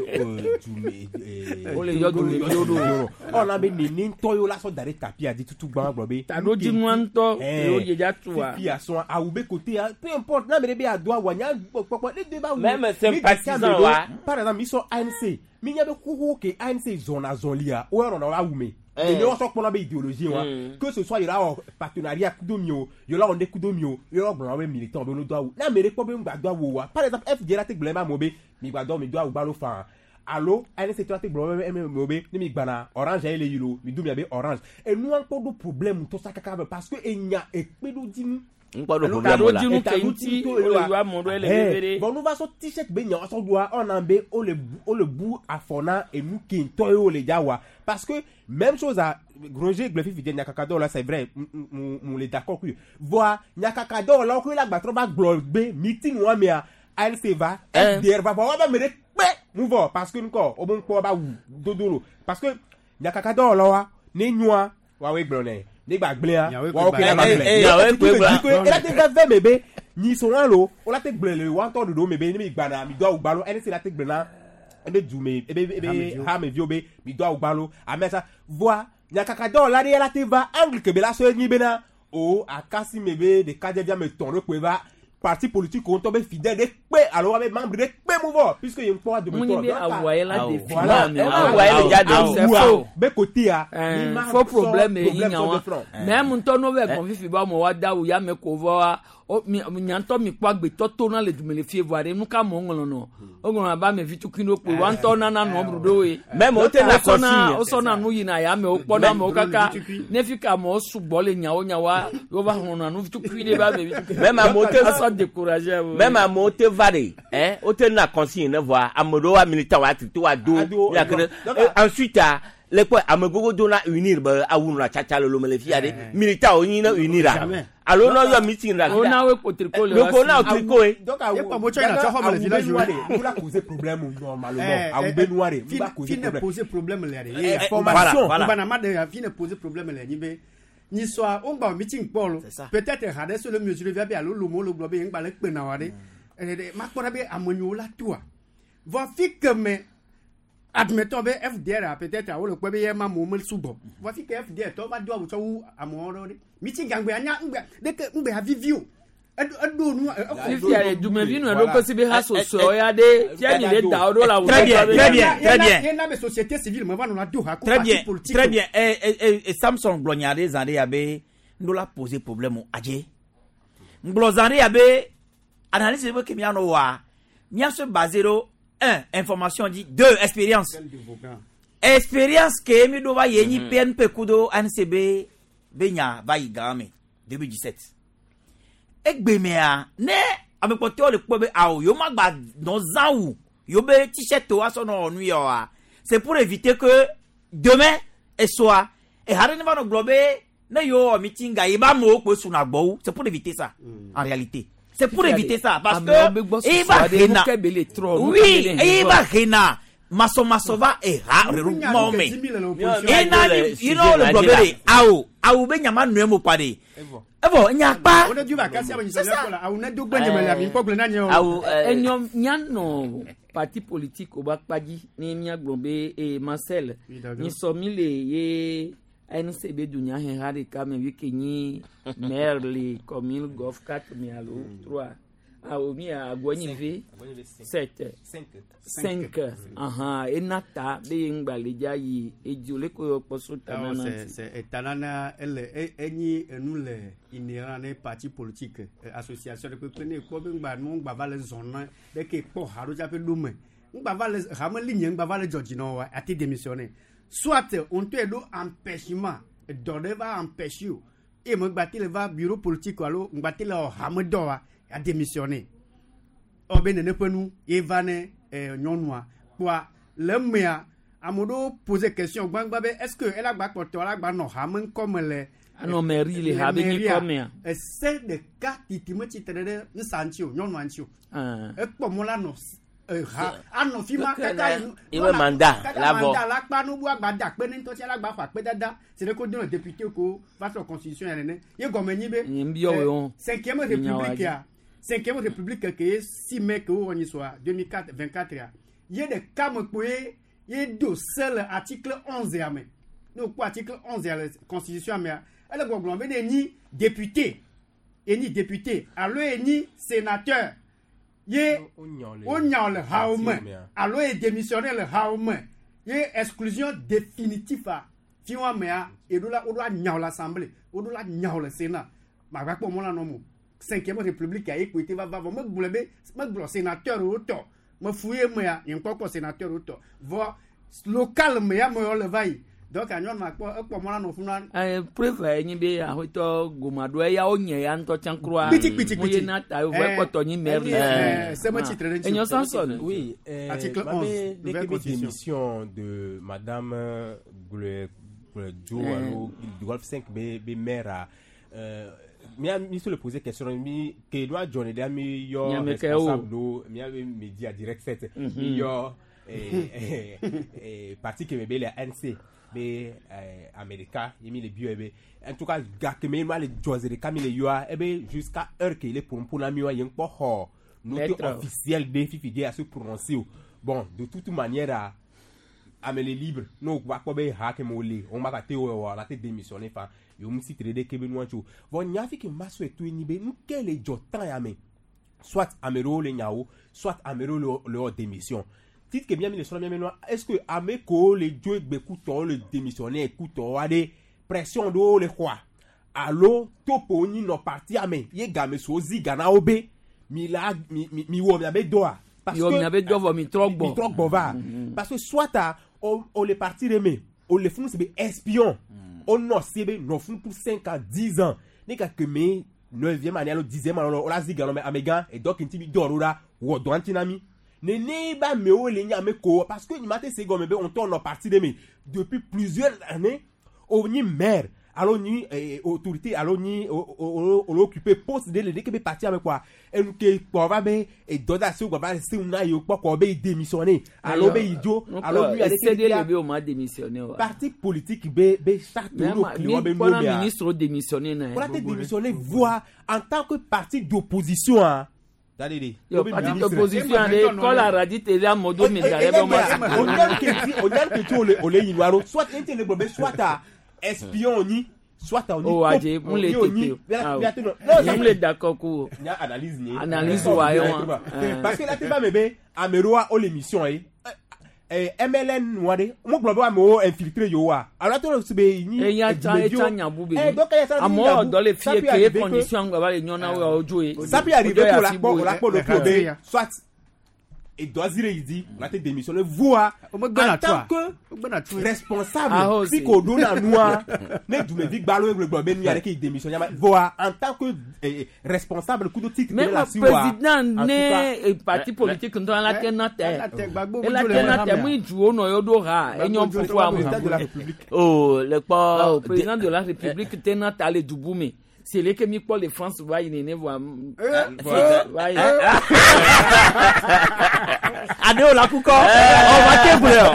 W: dume.
B: Wole yɔ dumeviwo ɖo.
W: Ɔna be nene ŋutɔ yewo la sɔ da ɖe tapia dzi tutu gbã gblɔ be.
B: Taɖodzinua ŋutɔ yewo dze dza tua.
W: Fifi asɔn awu be kote ya peu importe n'a mɛ de be ado awu nya kpɔkpɔ ne de ba wu.
A: Même
W: mi de
A: sympathisant
W: sia me ɖo,
A: wa.
W: Par exemple mi sɔ ANC mi nya be xoxo ke ANC zɔna zɔlia o yɔrɔ na wa awu me.
A: Eh.
W: Ene wɔsɔ kpɔna be idéologie wa
A: Mm.
W: que ce soit yɔrɔ awɔ partenariat kudo mi o yɔrɔ awɔ ne kudo mi o yɔrɔ gblɔna be militant be no do awu n'a mɛ de kpɔ be ŋgba do awu wa par exemple FD la te gblɔ ema amewo be mi gba do mi do awu gbalo faa alo ANC tɔ la te gblɔ be eme amewo be ne mi gbana orange ye le yi lo mi do mia be orange enua kpɔ ɖo problème ŋutɔ sa kaka be parce que enya ekpe ɖo dzi nu
A: Ŋkpɔ ɖo problème la.
B: Taɖodzinu ke ŋuti wole yɔ amewo ɖo ele veve ɖe.
W: bon nous va sɔ t-shirt be nya sɔ doa ɔna be o le bu o le bu afɔ na enu ke ŋutɔ ye o le dza wa parce que même chose à Roger gblɔ fifi dze nyakakadɔwɔla la c'est vrai mu mu le d'accord kui voa nyakakadɔwɔlawo koe la gbatrɔ va gblɔ be meeting wa mea ANC va FDR va vɔ wa ba me ɖe kpe mu vɔ parce que ŋkɔ wo be ŋkpɔ ba wu dodo lo parce que nyakakadɔwɔlawo wa ne nyoa woawoe gblɔ nɛ ne gba gblẽa woawo ke la va gblẽ
A: Nyawoe koe gblɔ.
W: ela te veve me be nyiso wa lo wola te gblẽ le wa ŋutɔ ɖoɖo me be ne mi gbana mi do awu gbalo ene si la te gblẽ na ebe du me ebe ebe
P: Hameviwo.
W: hameviwo be mi do awu gbalo ame sa voa nyakakadɔwɔla ɖe la te va angle ke be la sɔ enyi bena o akasi me be ɖekadzɛvi ame etɔ̃ ɖe koe va parti politique wo ŋutɔ be fidèle ɖe kpe alo wa be membre ɖe kpe mu vɔ puisque ye ŋkpɔ wa
B: Mu nyi
W: dometɔ
B: be awua ye la définir
W: Voilà.
B: amewo.
A: Awua ye le dza
B: Awu.
A: de.
B: C'est faux.
W: be côté ya
B: Eh,
W: mi ma
B: faux
W: sɔ
B: problème ye
W: problème
B: nya
W: sɔ
B: wa
W: de front.
B: mais ŋutɔ n'o bɛ gɔn fifi ba mɔ wa da o ya mɛ ko vɔ wa o mi nya ŋutɔ mi kpɔ agbetɔ to na le dume le fie vɔa ɖe nu ka mɔ ŋlɔ nɔ o ŋlɔ abe ame vi tukui ɖo kpoe wa ŋutɔ nana nɔ blu ɖo ye
A: Même o te na
B: wosɔna
A: consigne.
B: wosɔna nu yina ya amewo kpɔna amewo kaka ne fi ka amewo sugbɔ le nyawo nyawoa wova hlɔna nu tukui ɖe be ame vi tukui
A: Même amewo te
B: asɔ décourager amewo.
A: Même amewo te va ɖe hein o te na consigne ne vɔa ame ɖewo wa militant wa tri to wa do
W: Ado,
A: mia ke ɖe.
W: donc,
A: Eh, ensuite a le kpɔ ame gbogbo do na unir be awu nɔna tsatsa le lome le fia ɖe militant wo nyi ne unir a
P: Jamais.
A: alo ne yɔ meeting la
B: wo na wo ko tricot le
A: le ko na
B: wa
A: wo tricot ye.
W: donc awu
P: Ye kpɔ mo tsɔ yina tsɔ xɔ me le village
W: awu
P: wo.
W: be nua ɖe nu la causer problème normalement
P: Eh,
W: awu
P: eh,
W: be nua ɖe nu
P: fi
W: ba causer
P: fi ne
W: problème
P: poser problème le ɖe.
W: Eh, formation.
C: Voilà.
P: Voilà. ma de fi ne poser problème le nyi be nyisɔa wo ŋgba meeting kpɔ lo.
C: C'est ça.
P: Peut-être ha ɖe so le mesure via be alo lomo lo gblɔ be ŋgba le kpe na wa ɖe. Ɖe makpɔ ɖa be ame nyiwo la toa. Vɔ fi ke me admetɔ be FDR a peut-être awo le kpɔ be ye ma amewo me sugbɔ. Vɔ fi ke FDR tɔ va do awu tsɔ wu amewo ɖe ɖe. Meeting gangbe anya ŋgbe ɖeke ŋgbe havivi o. Eɖo eɖo nu.
B: fifia le dumevi nɔ ɖo kosi be hasosoe ya ɖe fia nyi le da wo ɖo la awu
C: Très bien, très bien, très bien.
P: Ye na be société civile me va nɔ la do ha ko
C: Très
P: parti
C: bien,
P: politique.
C: très bien. Eh, eh, eh, eh, Samson gblɔ nya ɖe zã ɖe ya be ŋɖo la poser problème o adze. Ŋgblɔ zã ɖe ya be analyse be ke mianɔ wɔa, miasɔ basé ɖo un information dzi, deux expérience. Expérience ke mi ɖo va yi nyi PNP kudo ANCB be nya va yi gã me deux mille dix-sept. Egbe mea ne ame kpɔtɔewo le kpɔ be awo yewo ma gba nɔ zã wu yewo be t-shirt wo asɔ nɔ wɔ nu ya oa c'est pour éviter que demain esoa eha ɖe ne va nɔ gblɔ be Ne yo meeting ga yeba mo ko suna gbo, c'est pour éviter ça en réalité. C'est pour éviter ça parce que il va rena. Oui, il va rena. Maso maso va e ha regroupement me. E na ni you know le problème awo awo be nyama nu mo pade. Evo nya pa.
P: On du va casser avec ça awo ne do gbe nyame la mi pogble na nye o.
A: Awo
B: enyo nya no parti politique o ba kpaji ni mia gbon e Marcel ni so mi le ye N C B dunya hen ha de ka me wi ke ni maire le commune golf quatre mi alo trois ah o mi agwani ve sept cinq aha enata be ngba le ja yi ejole ko poso tanana
P: c'est c'est tanana elle enyi enu le inhérent ne parti politique association de pe ne ko be ngba nu ngba va le zone de ke po haro ja pe lume ngba va le ha me ligne ngba va le jodino wa ati démissionner soit on te do empêchement dode va empêcher et me ngba le va bureau politique alo ngba le ha me do wa a démissionné. Obe ne penu evane nyonua quoi le mea amodo poser question gbangba be est-ce que elle a gba kpoto la gba no ha men comme le
B: ano mairie le ha be ni comme
P: c'est de cas titime titre nsanchi o nyonua nchi o e po mo la no ha ano fima kaka
A: iwe mandat la bo
P: mandat la pa no bu agba da pe ni to ti ala gba fa pe dada c'est le code député ko va sur constitution ene ye gome ni be cinquième république ya cinquième république qui est six mai que on y soit deux mille quatre vingt-quatre ya ye de kam poe ye do seul article onze ya me no quoi article onze ya constitution mais elle go be ni député et ni député allo et ni sénateur ye o nya le haome allo et démissionner le haome ye exclusion définitive a fi wa me a e do la o do nya l'assemblée o do la nya le sénat ma gba po mo la no mo cinquième république a écouté va va me gblebe me gblɔ sénateur o tɔ me fouiller me ya nye kpɔkpɔ sénateur o tɔ vɔ local me ya me yɔ le va yi donc anyɔ ma kpɔ ekpɔ mɔ la nɔ funu.
B: Ɛɛ preuve ye nyi be ahotɔ gomado eya wo nye ya ŋutɔ tsã kura.
P: Kpiti kpiti kpiti.
B: Mo ye na ta ye vɔ ekpɔtɔ nyi maire.
P: Ɛɛ sɛmɛ titre ɖe ŋuti.
B: Enyo Samson.
W: Oui.
P: Article onze.
W: Nouvelle démission de Madame Gle Gle alo du Golf cinq be be maire mi mi se le poser question mi ke doit joindre de mi yo responsable do mi ave média direct sept mi yo eh eh parti ke be le N C be America mi le bio be en tout cas ga ke me ma le joindre de kami le yo e be jusqu'à heure que il est pour pour la mi yo yen po ho note officielle de fifi à se prononcer bon de toute manière amele libre no va ko be ha ke mo le on ma ka te o la te démissionner fa yo mu si trede ke be no ancho von nya fi ke maso eto ni be nke le jotan ya me soit amero le nyao soit amero le le démission titre que bien mi le so bien no est-ce que ameko le jo egbe kuto le démissionner kuto ade pression do le kwa allo topo ni no parti ame ye ga me so zi gana obe mi la mi mi wo mi abe doa
B: parce que mi abe do vo mi trogbo
W: mi trogbo va parce que soit a on on les parti remé on les font c'est espion on non c'est non font pour cinq à dix ans ni ka que me neuvième année alors dixième année on la ziga non mais amega et donc inti mi dorora wo do antinami ne ne ba me o le nya me ko parce que ni maté c'est gomme on tourne parti de me depuis plusieurs années on ni maire alors ni autorité alors ni on occupé poste de le que parti avec quoi et nous que quoi va be et doda se va se una yo quoi quoi be démissionner alors be idiot alors lui
B: a cédé le be o ma démissionner
W: parti politique be be charte
B: no client be no ministre démissionner na
W: pour démissionner voir en tant que parti d'opposition hein
B: yo parti d'opposition ale kɔ la radi télé amodo mi da yɛ bɛ
W: ma on a que on a que tu ole ole yinuaro soit inte le be soit à espion ni soit on
B: oh aje mun le tete non mun le d'accord ko
W: analyse ni
B: analyse wa yo
W: parce que là tu vas me be ameroa o l'émission eh M L N wade mo gbo ba mo infiltré yo wa alors to se be ni
B: e ya ta e ta nyabu be amo do le fie ke condition gba ba le nyona wa ojo e
W: ça peut arriver pour la pour la pour le be soit edɔ zi ɖe yi dzi la te démissionner voa en tant que responsable fi ko ɖo na nua ne dumevi gbalo gblɔ be nu ya ɖe ke yi démissionner ma voa en tant que eh, responsable kudo titre
B: même
W: de la si wa
B: président ne parti politique ŋutɔ la te na tɛ ela te na tɛ mu duwo nɔ yɔ ɖo ha enyɔ fufu amu
A: oh le kpɔ
B: président de la république te na ta le dubu me. C'est là que mi kpɔ le France va yi nene voa va yi.
C: Adewo la kukɔ ɔ ma te gblẽ o.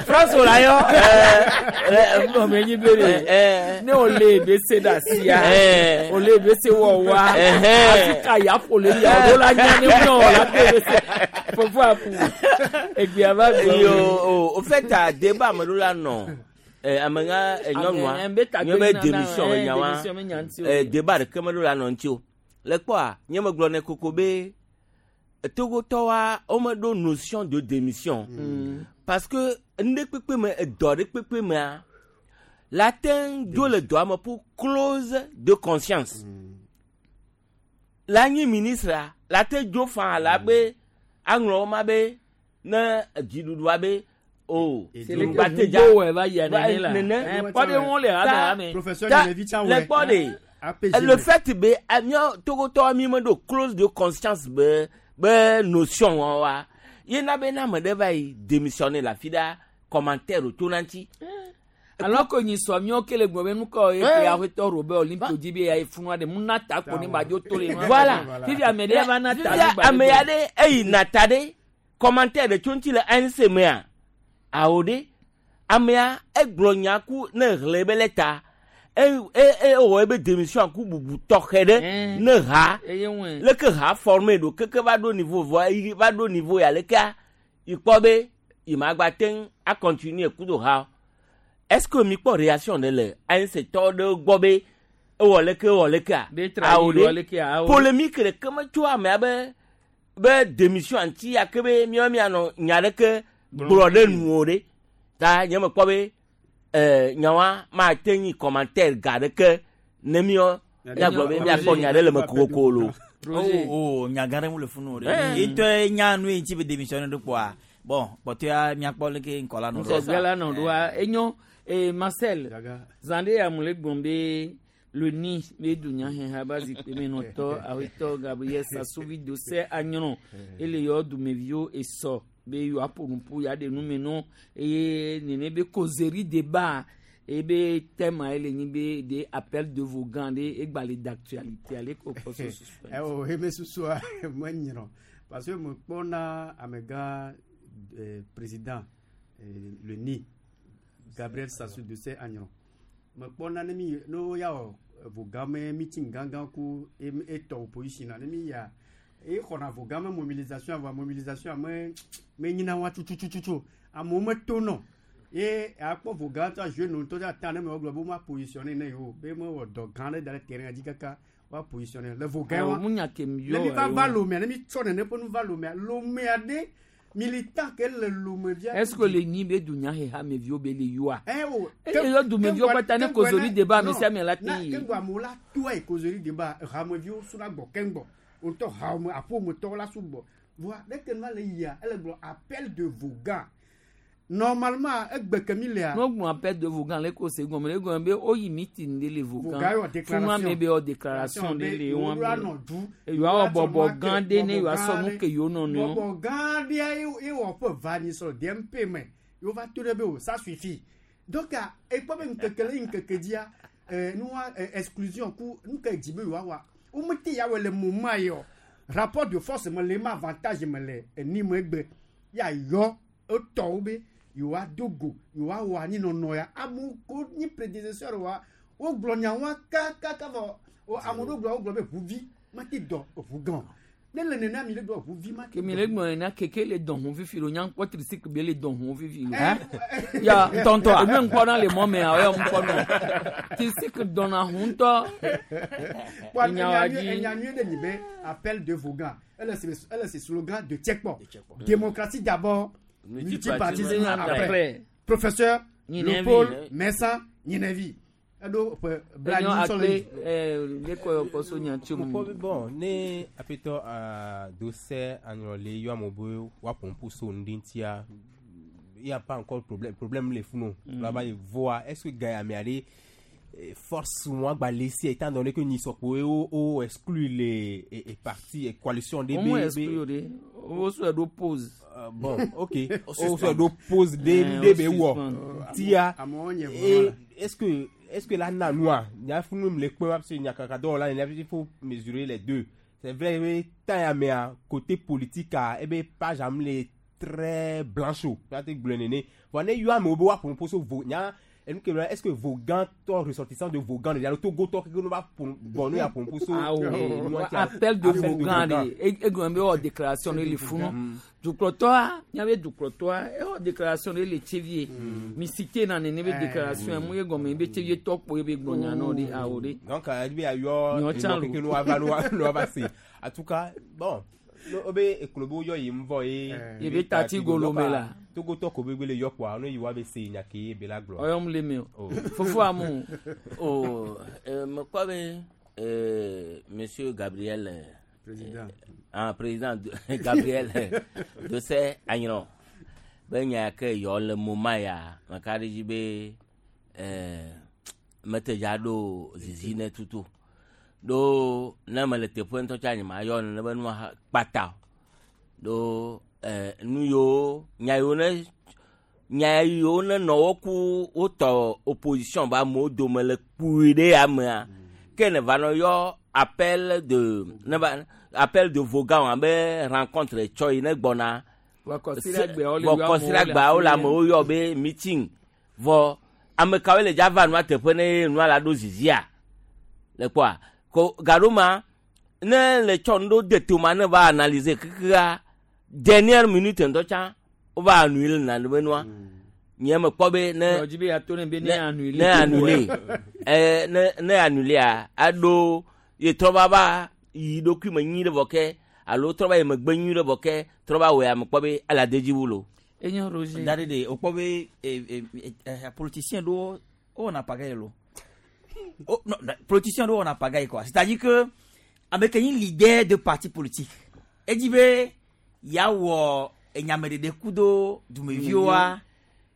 C: France o la yɔ.
B: Mɛ nyi bere ne o le ebe se da sia o le ebe se wɔ wa Afrika ya ƒo le ya o la nya ne ŋu o la te ebe se fofo apu egbea va
A: gbɔ. Yo o o fait a débat me ɖo la nɔ. Ame ŋa nyɔnua nye be démission be nya wa débat ɖeke me ɖo la nɔ ŋuti o le kpɔa nye me gblɔ ne koko be Togotɔwoa wo me ɖo notion de démission mm. Parce que nu ɖe kpekpe me edɔ ɖe kpekpe mea la teŋ dzo le dɔa me pour clause de conscience mm. La nyi ministre la te dzo fã la be aŋlɔ wo ma be ne dziɖuɖua be oh
B: c'est le
A: le fait be Togotɔ mi me ɖo clause de conscience be be notion wa ye na be na me ɖe va yi démissionner la fi ɖa commentaire o to na ŋuti.
B: Alors que nyi sɔ miɔ kele gbɔ be nukɔ ye ke aƒetɔ Robert Olympio dzi be ya ye funua ɖe mu na ta ko ne ba dzo to le.
A: Voilà
B: fifi ame ɖe va na ta
A: fifi ame ya ɖe eyi na ta ɖe commentaire ɖe tso ŋuti le A N C mea awo ɖe amea egblɔ nya ku ne hlẽ be le ta e e ewɔ ebe démission ku bubu tɔxɛ ɖe ne ha leke ha formé ɖo keke va ɖo niveau vɔ va ɖo niveau ya lekea ikpɔ be ima gba teŋ a continuer kudo ha. Est-ce que mi kpɔ réaction ɖe le A N C tɔ ɖe gbɔ be ewɔ leke ewɔ lekea awo ɖe polémique ɖeke metso amea be be démission ŋuti ya ke be miɔ mianɔ nya ɖeke gblɔ ɖe nu o ɖe ta nye me kpɔ be eh nyawa ma te nyi commentaire ga ɖeke ne miɔ miagblɔ be miakpɔ nya ɖe le me kokoko lo.
C: Oh oh nya gã ɖe mu le funu o ɖe etɔ nya nu yi ŋuti be démissionner ɖo kpɔa bon kpɔtɔa miakpɔ leke ŋkɔ la nɔ ɖo.
B: Ŋkɔgbea la nɔ ɖoa enyo eh Marcel zan ɖe amu le gblɔm be le ni be dunya hɛn ha ba zikpui me nɔtɔ awetɔ Gabriel Sassou Dose anyrɔ ele yɔ dumeviwo esɔ be yewoa ƒo nuƒo ya ɖe nume nɔ eye nene be causerie débat eye be thème ele nyi be de appel de Vogan ɖe egba le d'actualité ale ko kpɔ so susu.
P: Ɛ o eme susua me nyrɔ parce que me kpɔna amegã eh, président eh, le ni Gabriel Sassou Dose anyrɔ me kpɔna ne mi ne wo ya wɔ Vogan me meeting gãgã ku etɔ opposition na ne mi ya e xɔna Vogan me mobilisation avɔ mobilisation me me nyina wa tutututu amewo me to nɔ ye akpɔ Vogan tɔ jeune ŋutɔ tɔ ta ne me wogblɔ be wo ma positionner ne yewo be me wɔ dɔ gã ɖe da ɖe terrain dzi kaka wa positionner le Vogan wa ne mi va va Lomea ne mi tsɔ nene ƒe nu va Lomea Lomea ɖe militant ke le Lomevia.
B: Est-ce que le ni be dunya he ha meviwo be le yoa?
P: Eh o.
B: Ele yɔ dumeviwo kpata ne causerie débat ame sia ame la te yi.
P: Keŋgbɔ amewo la toa yi causerie débat hameviwo suna gbɔ keŋgbɔ wotɔ hame aƒometɔwo la sugbɔ voa ɖeke nua le yia ele gblɔ appel de Vogan normalement egbe ke mi lea.
B: N'o gblɔ appel de Vogan le ko se gɔme le gɔme be o yi meeting de le Vogan.
P: Vogan yɔ déclaration.
B: Funu ame be yɔ déclaration de le wɔn
P: be.
B: Yewoa wɔ bɔbɔ gã ɖe ne yewoa sɔ nu ke yewo nɔ nɔewo.
P: Bɔbɔ gã ɖe ye wɔ ƒe va nyi sɔ D M P me yewo va to ɖe be o ça suffit donc ekpɔ be ŋkeke le ŋkeke dzia nua exclusion ku nu ke dzi be yewoa wa womete ya wɔ le moment yɔ rapport de force me le ma avantage me le eni me egbe ya yɔ etɔwo be yewoa do go yewoa wɔ anyinɔnɔ ya amewo ko nyi prédécesseur wa wogblɔ nya wa kakaka vɔ ame ɖewo gblɔ wogblɔ be ʋuvi mate dɔ ʋu gã ne le nene mi le gblɔ ʋuvi mate.
B: Kemi le gblɔ nena keke le dɔn hun fifi lo nyankpɔ tricycle be le dɔn hun fifi lo. Ya
C: ntɔntɔ
B: enu ŋkpɔ na le mɔ mea o yɔ ŋkpɔ nɔ tricycle dɔnna hun ŋutɔ.
P: Enya nyuie ɖe nyi be appel de Vogan ele ele se slogan de Tchekpo démocratie d'abord multipartisme après. Professeur Léopold Messan Gninevi. Eɖo ƒe bla
B: Enyo
P: nyi sɔ le
B: akpe eh, lekɔ yɔ kɔ so nya tso mu.
W: Mokpɔ be bon ne aƒetɔ Dose Anyrɔ yɔ amewo be woaƒo nuƒo so nu ɖe ŋutia il y a pas encore problème problème le funu mm. Là-bas il voit est-ce que gars amea ɖe eh, force wa gba le si étant donné que nyisɔkpo wo wo exclut les et, et parti et coalition de
B: Wo mu exclu o de wo sɔ ɖo pause.
W: Euh, bon ok wo sɔ ɖo pause de de be wɔ tia
P: Amewo nye
W: et
P: voilà.
W: est-ce que est-ce que la nanua nya funu le kpe wa parce que nyakaka dɔwɔla nya il faut mesurer les deux c'est vrai be temps ya mea côté politique a ebe page am le très blanche o la te gblɔ nene vɔ ne yɔ amewo be woaƒo nuƒo so vo nya enu ke est-ce que Vogan tɔ ressortissant de Vogan de alo Togo tɔ keke no va ƒo bɔn no ya ƒo nuƒo so
B: Awo
W: eh, nua tia.
B: appel de Vogan de egɔme be wɔ déclaration de le funu dukplɔtɔa miabe dukplɔtɔa ewɔ déclaration de le tsevie mi cité na nene be déclaration mu ye gɔme be tsevie tɔkpo ye be gblɔ nya nɔ de awo de.
W: donc euh, be ayɔ
B: Nyɔ tsã
W: enɔ keke no ava no wa- no ava se en tout cas bon no obe eklobo yɔ yi ŋvɔ ye
B: Ye be tati golo me la.
W: Togo tɔ ko be gbe le yɔ kpoa no yi wa be se nya ke ye be la gblɔ
B: Ɔyɔm le me o fofo amu.
A: Oh, euh, mekpɔ be euh, monsieur Gabriel euh,
P: Président.
A: ah, président de- Gabriel Dose Anyrɔ be nya ke yɔ le moma ya meka ɖe dzi be eh, mete dza ɖo zizi ne tutu ɖo ne mele teƒe ŋutɔ tsa nye ma yɔ nene be nua ha- kpata o ɖo eh, nu yiwo nya yiwo ne nya yiwo ne nɔ wo ku wotɔ opposition be amewo dome le kpui ɖe amea ke ne va nɔ yɔ appel de ne va appel de Vogan abe rencontre tsɔ yi ne gbɔna
B: Vɔ kɔsiɖagbeawo le
A: vɔ
B: yɔ amewo le
A: kɔsiɖagbeawo le
B: afi
A: amewo yɔ be meeting vɔ ame kawoe le dza va nua teƒe ne nua la ɖo zizia le kpɔa ko gaɖo ne le tsɔ nu ɖo de toma ne va analyser kekea dernière minute ŋutɔ tsã wova annulé nane be nua nye me kpɔ be ne
B: Yɔ dzi be yeato ne be ne annulé.
A: ne annulé eh, ne ne annulé aɖo ye trɔ va va yi ɖokui me nyui ɖe vɔ ke alo trɔ va yi megbe nyui ɖe vɔ ke trɔ va wɔe ame kpɔ be ele ade dzi wu lo.
B: Enyo Roger.
C: Da de o kpɔ be eh, eh, eh, politicien ɖewo wowɔna pagaille lo. Oh, non, non, politicien ɖewo wɔna pagaille quoi. C'est-à-dire que ame ke nyi leader de parti politique edzi be yeawɔ enyameɖeɖe kudo dumeviwoa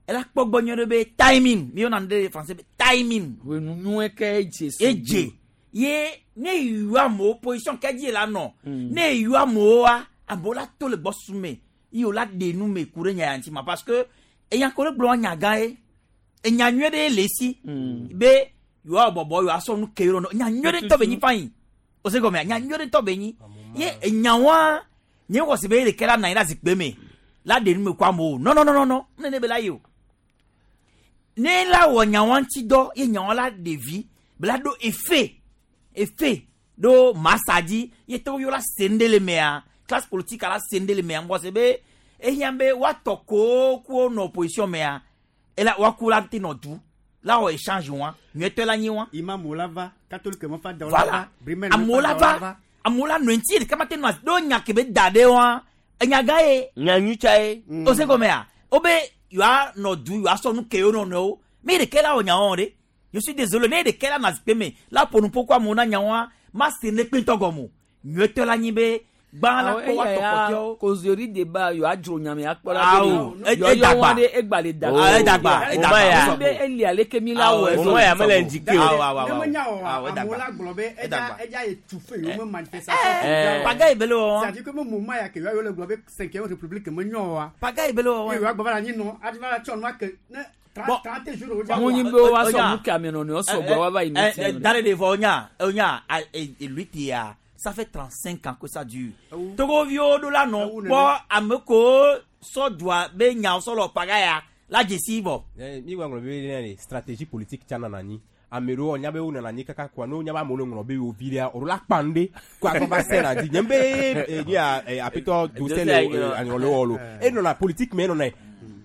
C: ela kpɔ gbɔ nyuie ɖe be timing mi yɔna nu ɖe français be timing.
B: Wenu nyuie ke edze
C: so. Edze ye ne yɔ amewo position ke dzi la nɔ ne yɔ amewoa amewo la to le gbɔsusu me ye wo la ɖe nu me ku ɖe nya ya ŋuti ma parce que enya ko ɖe gblɔ nya gã ye enya nyuie ɖe le esi be yewoa bɔbɔ yewoa sɔ nu ke yewo nɔ nya nyuie ɖe ŋutɔ be nyi fain o se gɔmea nya nyuie ɖe ŋutɔ be nyi ye enya wa nye wɔ si be ye ɖeke la nɔ anyi ɖe zikpui me la ɖe nu me ku amewo non non non non ne ne be la yi o ne la wɔ nyawa ŋuti dɔ ye nyawa la ɖe vi be la ɖo efe efe ɖo masa dzi ye tɔwo yɔ la se nu ɖe le mea classe politique la se nu ɖe le mea ŋgɔ se be ehiã be woatɔ ko ku nɔ opposition mea ela woaku la te nɔ du la wɔ échange wa nyuietɔ la nyi wa.
P: Imamu la va catholique me fa dawo la
C: voilà
P: va brimel me
C: amewo
P: fa
C: la
P: dawo la
C: va
P: va.
C: amewo la nɔ ŋuti ɖeka ma te nɔ asi ɖo nya ke be da ɖe wa enya gã ye.
A: nya nyui tsa ye.
C: o se gɔmea wo be yewoa nɔ du yewoa sɔ nu ke yewo nɔnɔewo me ɖeke la wɔ nyawo ɖe je suis désolé ne ɖeke la nɔ zikpui me la ƒo nu ƒo ko amewo na nyawoa ma se ne kpe ŋutɔ gɔme o nyuietɔ la nyi be gbã la kpɔ woatɔ kpɔtɔewo.
B: Causerie débat yewoa dzro nyame akpɔ la
C: Awo, e- edagba.
B: ɖe egba le dagba.
C: Ah, edagba, edagba,
B: O
C: edagba.
B: be eli aleke mi la wɔ
A: Mo ya mele indiqué o.
C: Awo, awo,
P: Ne
C: awo.
P: menya o
C: Awo, edagba.
P: amewo la gblɔ be edza
C: Edagba.
P: edza étouffe yewo me manifestation.
C: Eh, pagaille be le wɔwɔ.
P: C'est-à-dire que me moment ya ke yewoa le gblɔ be cinquième république me nyɔ wa.
C: Pagaille be le wɔwɔ.
P: Ye yewoa gbɔ va le anyi nɔ adi va la tsɔ nua ke ne
C: Bon.
P: trente jours o dza
B: Mo nyi be woa sɔ nu ke ame nɔnɔewo sɔgbɔ woava yi meeting.
C: Dans les devant, onya, onya, lui tia, ça fait trente-cinq ans que ça dure. Togo viwo ɖo la nɔ kpɔ ame ko sɔ dua be nyawo sɔ lɔ pagaya la dzesi vɔ.
W: mi gba ŋlɔ be ne stratégie politique tsa nana anyi ame ɖewo nya be wo nana anyi kaka koa ne wo nya be amewo le ŋlɔ be yewo vi ɖea o la kpa nu ɖe ko akɔ va se na dzi nye be eh, nye ya eh, aƒetɔ Dose le eh, anyɔ le wɔ lo enɔna politique me enɔna ye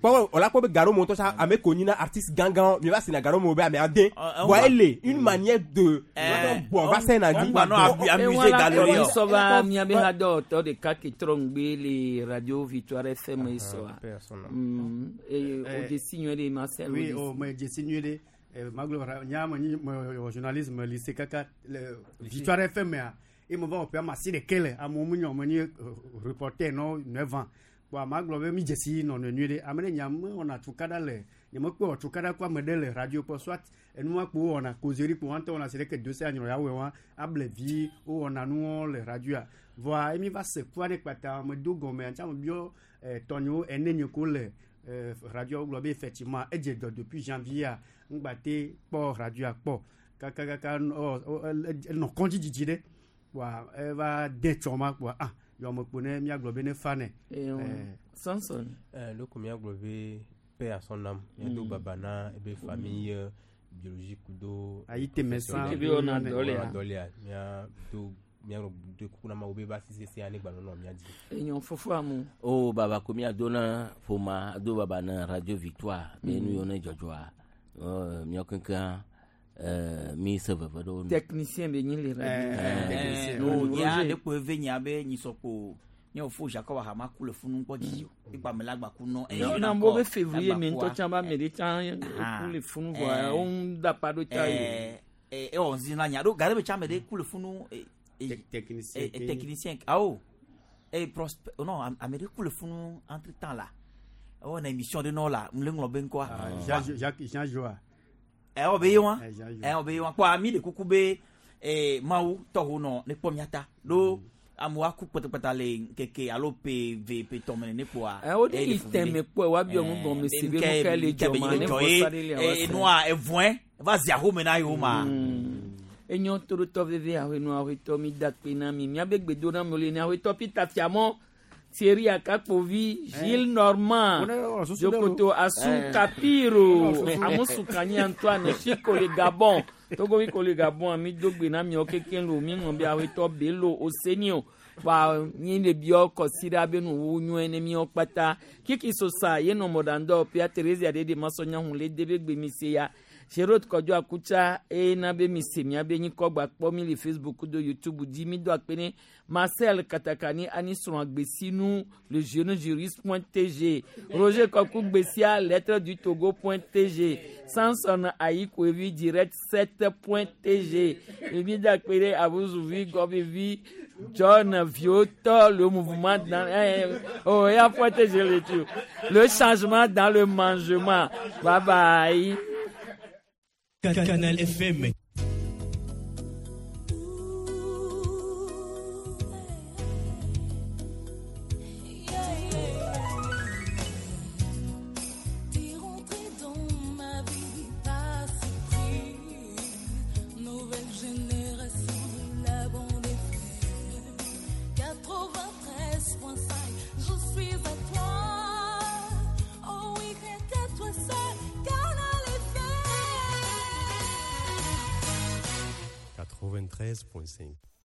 W: kpɔ o la kpɔ be gaɖo me ŋutɔ sa ame ko nyina artiste gãgã mi va sena gaɖo me be ame ade voa ele une manière de bɔn va se na dzi.
B: Sɔ va miabe ha dɔwɔtɔ ɖeka ke trɔ ŋugbe le radio Victoire F M ye sɔa. Mm, eye o dzesi nyuie ɖe Marcel.
P: Oui, oh, mais dzesi nyuie ɖe. Maglo nya me nyi me wɔ journalisme lycée kaka le Victoire F M a e me va wɔ ƒe ama si ɖeke le amewo mu nyɔ me nyi reporter nɔ neuf ans kpoa magblɔ be mi dzesi nɔnɔe nyuie ɖe ame ɖe nya me wɔna tukaɖa le nye me kpɔ tukaɖa kɔ ame ɖe le radio kpɔ soit enua kpo wɔna causerie kpo wɔn tɔ wɔna si ɖeke do se anyrɔ ya wɔe wa able vi wowɔna nuwo le radioa vɔa emi va se kua ɖe kpata me do gɔme antsa me biɔ tɔnyewo ene nye ko le radio gblɔ be effectivement edze dɔ depuis janvier ŋgba te kpɔ radioa kpɔ kakakaka enɔ kɔndzi dzidzi ɖe kpoa eva de tsɔ ma kpoa ah yɔme kpo ne miagblɔ be ne fa nɛ.
B: Samson.
W: Loko miagblɔ be paix à son âme miado baba na ebe famille biologique do.
P: Ayi teme san
B: ebe wɔna dɔlea
W: dɔlea mia do miagblɔ de kuku na ma wo be ba sisi se ane gba nɔnɔ mia dzi.
B: Enyo fofo amu.
A: O baba ko mia do na ƒoma do baba na Radio Victoire be nu yɔ ne dzɔdzɔa miɔ kekeŋ mi se veve ɖewo nu.
B: Technicien be nyi le radio.
C: Technicien. No ya de ko eve nya be nyisɔkpo nye ofo Jacob Ahama ku le funu kpɔ dzidzi o ikpa me la gba ku nɔ.
B: Ne na mo be février me ŋutɔ tsã ba me ɖe tsã ku le funu vɔa wo ŋu da pa ɖo tsa yi.
C: Ee ewɔ ŋzi na nya ɖo gare be tsã me ɖe ku le funu.
P: Technicien.
C: Technicien awo e prosper non ame ɖe ku le funu entre temps la ewɔ na émission ɖe nɔ la ŋle ŋlɔ be ŋkɔa.
P: Jean Jacques Jean Joa.
C: Ewɔ be ye wa ewɔ be ye wa kpɔ ami ɖe kuku be ee mawu tɔwo nɔ ne kpɔ mia ta ɖo amewo aku kpɔtɔkpɔtɔ le nkeke alo pe ve pe tɔmɛ ne kpoa.
B: Ɛ o de yi tɛmɛ kpɔ wa biɔ ŋu gɔme si be nu ka le dzɔ ma ne vɔsa ɖe le awa
C: se. Enua evɔɛ va zi ahome na yewo ma.
B: Enyo torotɔ veve ahwenu ahwetɔ mi da kpe na mi miabe gbedo na mi le ne ahwetɔ Peter Fiamɔ Thierry Akakpovi Gilles Normand Jokoto Asu Kapiro Amusukanyi Antoine Chico le Gabon Togo ko le Gabon mi do gbe na mi o kekeŋ lo mi ŋlɔ be ahwetɔ Bello Osenio wa nyi le biɔ kɔsi be nu wu nyuie ne miɔ kpata Kiki Sosa yenɔ mɔdandɔ Pia Theresia ɖe de masɔnya hun le de be gbe mi se ya Gérard Kodjo Akutsa ena be mi se mia be nyikɔ gba kpɔ mi le Facebook do YouTube dzi mi do akpe ne Marcel Katakani ani srɔ̃ agbesinu le jeune juriste point tg Roger Koku Gbesia lettre du Togo point tg Samson Ayikoevi direct sept point tg mi do akpe ne Abouzuvi Gobevi John Vioto le mouvement dans eh, oh et à point tg le tout le changement dans le mangement. Bye bye.
E: Canal F M.
F: T'es rentré dans ma vie par surprise. Nouvelle génération, la bande F M. quatre-vingt-treize virgule cinq, je suis à toi. Oh oui, rien qu'à toi seul, Canal F M.
E: quatre-vingt-treize virgule cinq.